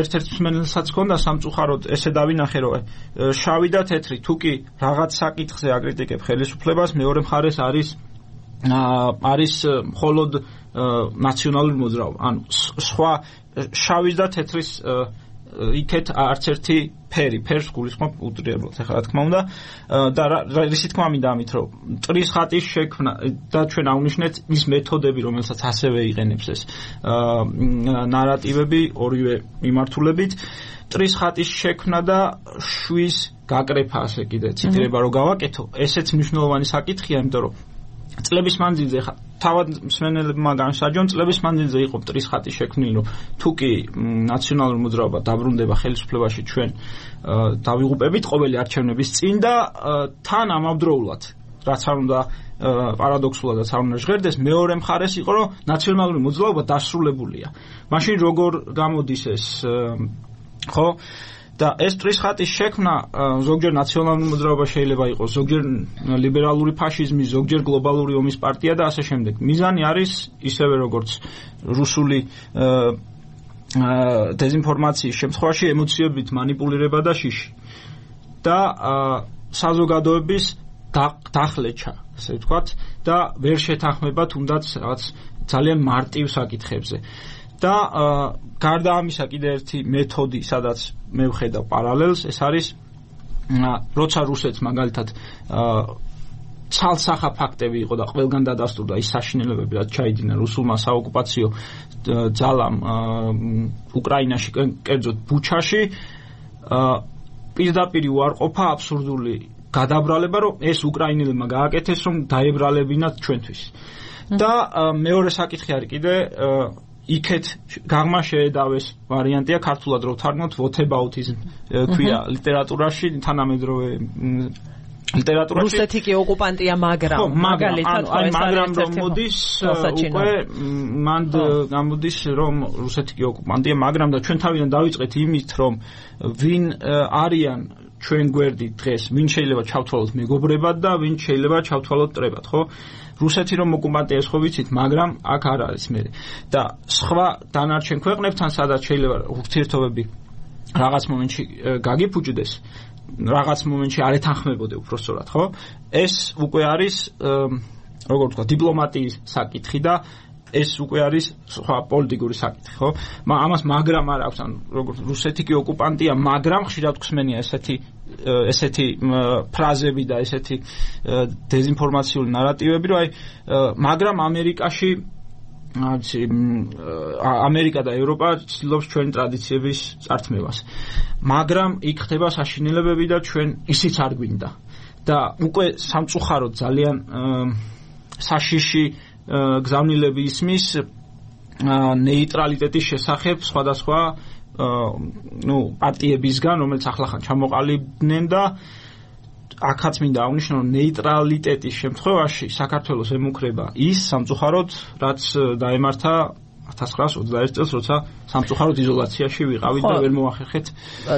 ერთ-ერთ მსმენელსაც ჰქონდა სამწუხაროდ ესე დავინახე, რომ შავი და თეთრი თუ კი რაღაც საკითხზე აკრიტიკებ ხელისუფლებას, მეორე მხარეს არის მხოლოდ ნაციონალური მოძრაობა. ანუ სხვა შავის და თეთრის იქეთ არც ერთი ფერს გულისხმობ უტრიებლად. ახლა რა თქმა უნდა და რისი თქმა მინდა ამით, რომ წრის ხატის შექმნა და ჩვენ აღვნიშნეთ ის მეთოდები, რომელსაც ასევე იყენებს ეს ნარატივები ორივე მიმართულებით. წრის ხატის შექმნა და შვის გაკრეფა, ასე კიდე ციტირება რომ გავაკეთო, ესეც მნიშვნელოვანი საკითხია, იმიტომ რომ წლების მანძილზე ხა თავად მსმენელებმა განსაჯონ წლების მანძილზე იყო მტრის ხატი შექმნილი, რომ თუ კი ნაციონალური მოძრაობა დაბრუნდება ხელისუფლებაში ჩვენ დავიღუპებით ყოველი არჩევნების წინ და თან ამავდროულად რაც არ უნდა პარადოქსულადაც არ უნდა ჟღერდეს, მეორე მხარეს იყო, რომ ნაციონალური მოძრაობა დასრულებულია. მაშინ როგორ გამოდის ეს, ხო? და ეს მტრის ხატის შექმნა ზოგჯერ ნაციონალური მოძრაობა შეიძლება იყოს, ზოგჯერ ლიბერალური ფაშიზმი, ზოგჯერ გლობალური ომის პარტია და ასე შემდეგ. მიზანი არის ისევე როგორც რუსული დეზინფორმაციის შემთხვევაში ემოციებით მანიპულირება და შიში. და საზოგადოების დახლეჩა, ასე ვთქვათ, და ვერ შეთანხმება თუნდაც რაღაც ძალიან მარტივ საკითხებზე. და გარდა ამისა კიდე ერთი მეთოდი, სადაც მე ვხედავ პარალელს, ეს არის როცა რუსეთს მაგალითად ცალსახა ფაქტები იყო და ყველგან დადასტურდა ის საშინელებები, რაც ჩაიდინა რუსულმა საოკუპაციო ძალამ უკრაინაში, კერძოდ ბუჩაში, პირდაპირ უარყოფა აბსურდული გადაბრალება, რომ ეს უკრაინელებმა გააკეთეს, რომ დაებრალებინათ ჩვენთვის. და მეორე საკითხი არის კიდე იქეთ გაღმა შეედავეს ვარიანტია ქართულად რო ვთარგმნოთ whataboutism ქვია ლიტერატურაში, თანამედროვე ლიტერატურაში. რუსეთი კი ოკუპანტია, მაგრამ მაგალითად მაგრამ რომ მოდის უკვე მანდ გამოდის რომ რუსეთი კი ოკუპანტია, მაგრამ და ჩვენ თავიდან დავიწყეთ იმით, რომ ვინ არიან ჩვენ გვერდით დღეს, ვინ შეიძლება ჩავთვალოთ მეგობრებად და ვინ შეიძლება ჩავთვალოთ მტრებად, ხო? რუსეთი რომ ოკუპანტია ეს ხო ვიცით, მაგრამ აქ არ არის მე. და სხვა დანარჩენ ქვეყნებთან სადაც შეიძლება ურთიერთობები რაღაც მომენტში გაგიფუჭდეს, რაღაც მომენტში არ ეთანხმებოდე უბრალოდ, ხო? ეს უკვე არის როგორ ვთქვა, დიპლომატიის საკითხი და ეს უკვე არის სხვა პოლიტიკური საკითხი, ხო? ამას მაგრამ არ აქვს, ან როგორც რუსეთი კი ოკუპანტია, მაგრამ ხშირად გვსმენია ესეთი ფრაზები და ესეთი დეზინფორმაციული ნარატივები, რომ მაგრამ ამერიკაში ამერიკა და ევროპა ცდილობს ჩვენი ტრადიციების წართმევას. მაგრამ იქ ხდება საშინელებები და ჩვენ ისიც არ გვინდა. და უკვე სამწუხაროდ ძალიან საშიში გზავნილები ისმის ნეიტრალიტეტის შესახებ სხვადასხვა პარტიებისგან, რომელიც ახლახან ჩამოყალიბდნენ და აქაც მინდა აღნიშნო, რომ ნეიტრალიტეტის შემთხვევაში საქართველოს ემუქრება ის სამწუხაროდ, რაც დაემართა 1921 წელს, როცა სამწუხაროდ იზოლაციაში ვიყავით და ვერ მოახერხეთ.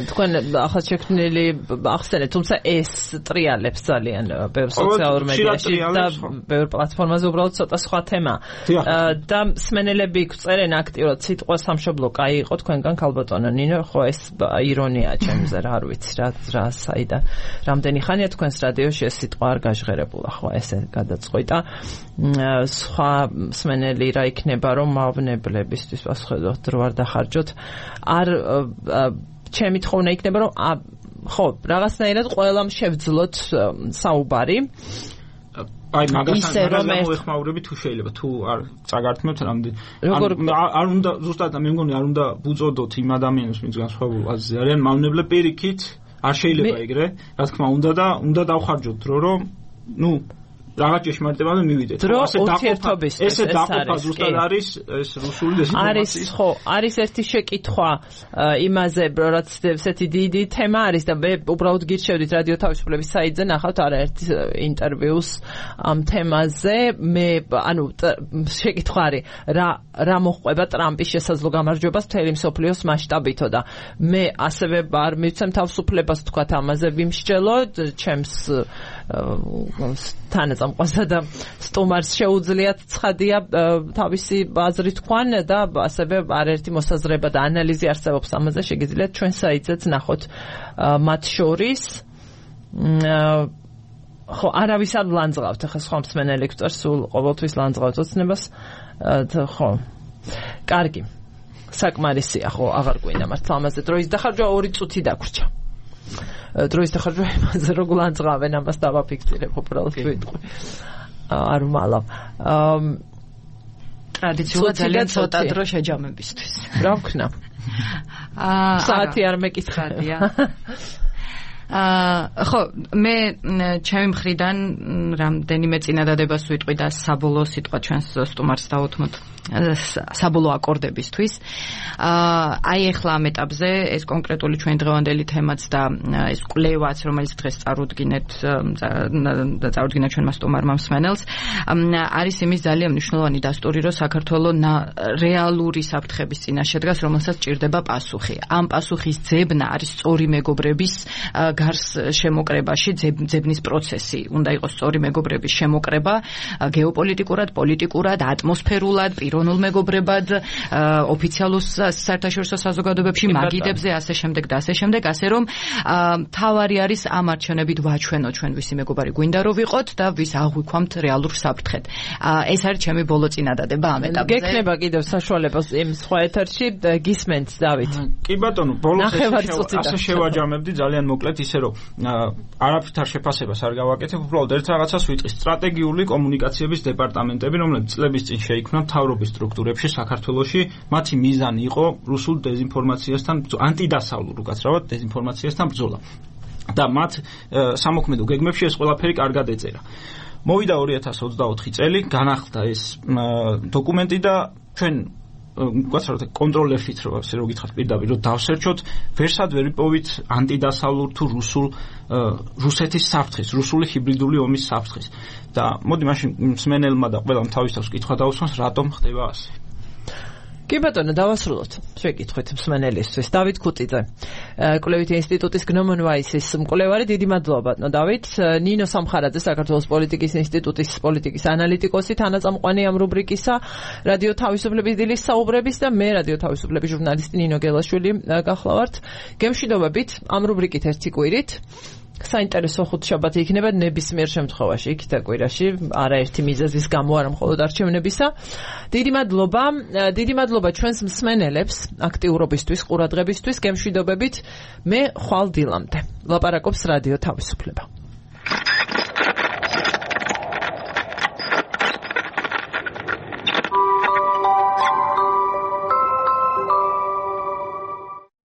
თქვენ ახლა შექმნილი ახსენეთ, თუმცა ეს ტრიალებს ძალიან ბევრ სოციალურ მედიაში და ბევრ პლატფორმაზე უბრალოდ ცოტა სხვა თემა. და მსმენელები გწერენ აქტიურად სიტყვა სამშობლო კაი იყო თქვენგან ქალბატონო ნინო, ხო ეს ირონია ჩემზე რა არ ვიცი რა საიდან. რამდენი ხანია თქვენს რადიოში ეს სიტყვა არ გაჟღერებულა, ხო ესე გადაწყვიტა. სხვა მსმენელი რა იქნება რომ მავნებლებისთვის პასუხობთ დრო არ დახარჯოთ. არ ჩემი თხოვნა იქნება რომ ხო რაღაცნაირად ყველამ შევძლოთ საუბარი. აი მაგასთან მოეხმაურები თუ შეიძლება თუ არ წაგართმევთ რამდენი არ უნდა ზუსტად მე მგონი არ უნდა ბუწოდოთ იმ ადამიანებს ვინც განსხვავებულ აზრზე არიან მავნებლე პირიქით არ შეიძლება ეგრე რა თქმა უნდა და უნდა დავხარჯოთ დრო რომ რაღაც ჭეშმარიტებამდე მივიდეთ. ესე დაყოფა ზუსტად არის ეს რუსული დეზინფორმაციის. არის ხო, არის ერთი შეკითხვა იმაზე, რაც ესეთი დიდი თემა არის და მე უბრალოდ გირჩევდით რადიო თავისუფლების საიტზე ნახავთ არაერთი ინტერვიუს ამ თემაზე. მე ანუ შეკითხვა არის რა მოხდება ტრამპის შესაძლო გამარჯვებას მთელი მსოფლიოს მასშტაბითო და მე ასევე არ მივცემ თავისუფლებას თქვათ ამაზე ვიმსჯელო ჩემს თანაწამყვასა და სტუმარს შეუძლიათ ცხადია თავისი აზრი თქვან და ასევე არაერთი მოსაზრება და ანალიზი არსებობს ამაზე შეგიძლიათ ჩვენ საიტზეც ნახოთ მათ შორის ხო არავის არ ლანძღავთ ახლა სხვა მსმენელი გვწერს სულ ყოველთვის ლანძღავთ ოცნებას ხო კარგი საკმარისია ხო აღარ გვინდა მართლა ამაზე დროის დახარჯვა 2 წუთი დაგვრჩა დროის დახარჯვა იმაზე რომ ლანძღავენ ამას დავაფიქსირებ უბრალოდ ვიტყვი არ ვმალავ ტრადიციულად ძალიან ცოტა დრო შეჯამებისთვის რა ვქნა საათი არ მეკითხარია ხო, მე ჩემი მხრიდან რამდენიმე წინადადებას ვიტყვი და საბოლოო სიტყვა ჩვენს სტუმარს დავუთმოთ საბოლოო აკორდებისთვის. აი ახლა ამ ეტაპზე ეს კონკრეტული ჩვენ დღევანდელი თემაც და ეს კვლევაც, რომელიც დღეს წარუდგინა ჩვენმა სტუმარმა მსმენელს, არის იმის ძალიან მნიშვნელოვანი დასტური, რომ საქართველოს რეალური საფრთხების წინაშე დგას, რომელსაც ჭირდება პასუხი. ამ პასუხის ძებნა არის სწორი მეგობრების გარს შემოკრებაში, ძებნის პროცესი. უნდა იყოს სწორი მეგობრების შემოკრება გეოპოლიტიკურად, პოლიტიკურად, ატმოსფერულად, პიროვნულ მეგობრებად, ოფიციალურ საერთაშორისო საზოგადოებებში, მაგიდებზე, ასე შემდეგ და ასე შემდეგ, ასე რომ თავარი არის ამ არჩევნებით ვაჩვენოთ ჩვენ ვისი მეგობარი გვინდა რომ ვიყოთ და ვის აღვიქვამთ რეალურ საფრთხედ. ეს არის ჩემი ბოლო წინადადება ამ ეტაპზე. გექნება კიდევ საშუალება იმ სხვა ეთერში გისმენთ დავით. კი ბატონო, ბოლოს ასე შევაჯამებდი ძალიან მოკლედ ისე რომ არაფრით არ შეფასებას არ გავაკეთებ, უბრალოდ ერთ რაღაცას ვიტყვი. სტრატეგიული კომუნიკაციების დეპარტამენტები, რომლებიც წლების წინ შეიქმნა მთავრობის სტრუქტურებში საქართველოში, მათი მიზანი იყო რუსულ დეзинფორმაციასთან, ანტიდასავლურ უკაცრავად დეзинფორმაციასთან ბრძოლა. და მათ სამოქმედო გეგმებში ეს ყველაფერი კარგად ეწერა. მოვიდა 2024 წელი, განახლდა ეს დოკუმენტი და ჩვენ გასაუბრეთ კონტროლერშიც რომ გითხრათ პირდაპირ რომ დავსერჩოთ, ვერსად ვერ ვიპოვით ანტიდასავლურ თუ რუსეთის საფრთხეს, რუსული ჰიბრიდული ომის საფრთხეს. და მოდი მაშინ მსმენელმა და ყველამ თავის თავს კითხვა დაუსვას, რატომ ხდება ასე. კი ბატონო, დავასრულოთ. შეკითხვით მსმენელისთვის. დავით ქუწიძე, კვლევითი ინსტიტუტის გნომონ ვაისის მკვლევარი, დიდი მადლობა ბატონო დავით. ნინო სამხარაძე, საქართველოს პოლიტიკის ინსტიტუტის პოლიტიკის ანალიტიკოსი, თანაწამყვანი ამ რუბრიკისა, რადიო თავისუფლების დილის საუბრების და მე რადიო თავისუფლების ჟურნალისტი ნინო გელაშვილი გახლავართ. გემშვიდობებით ამ რუბრიკით ერთი კვირით. საინტერესო ხუთშაბათი იქნება ნებისმიერ შემთხვევაში იქ და კვირაში, არაერთი მიზეზის გამო, არა მხოლოდ არჩევნებისა. დიდი მადლობა ჩვენს მსმენელებს აქტიურობისთვის, ყურადღებისთვის. გემშვიდობებით. მე ხვალ დილამდე. ლაპარაკობს რადიო თავისუფლება.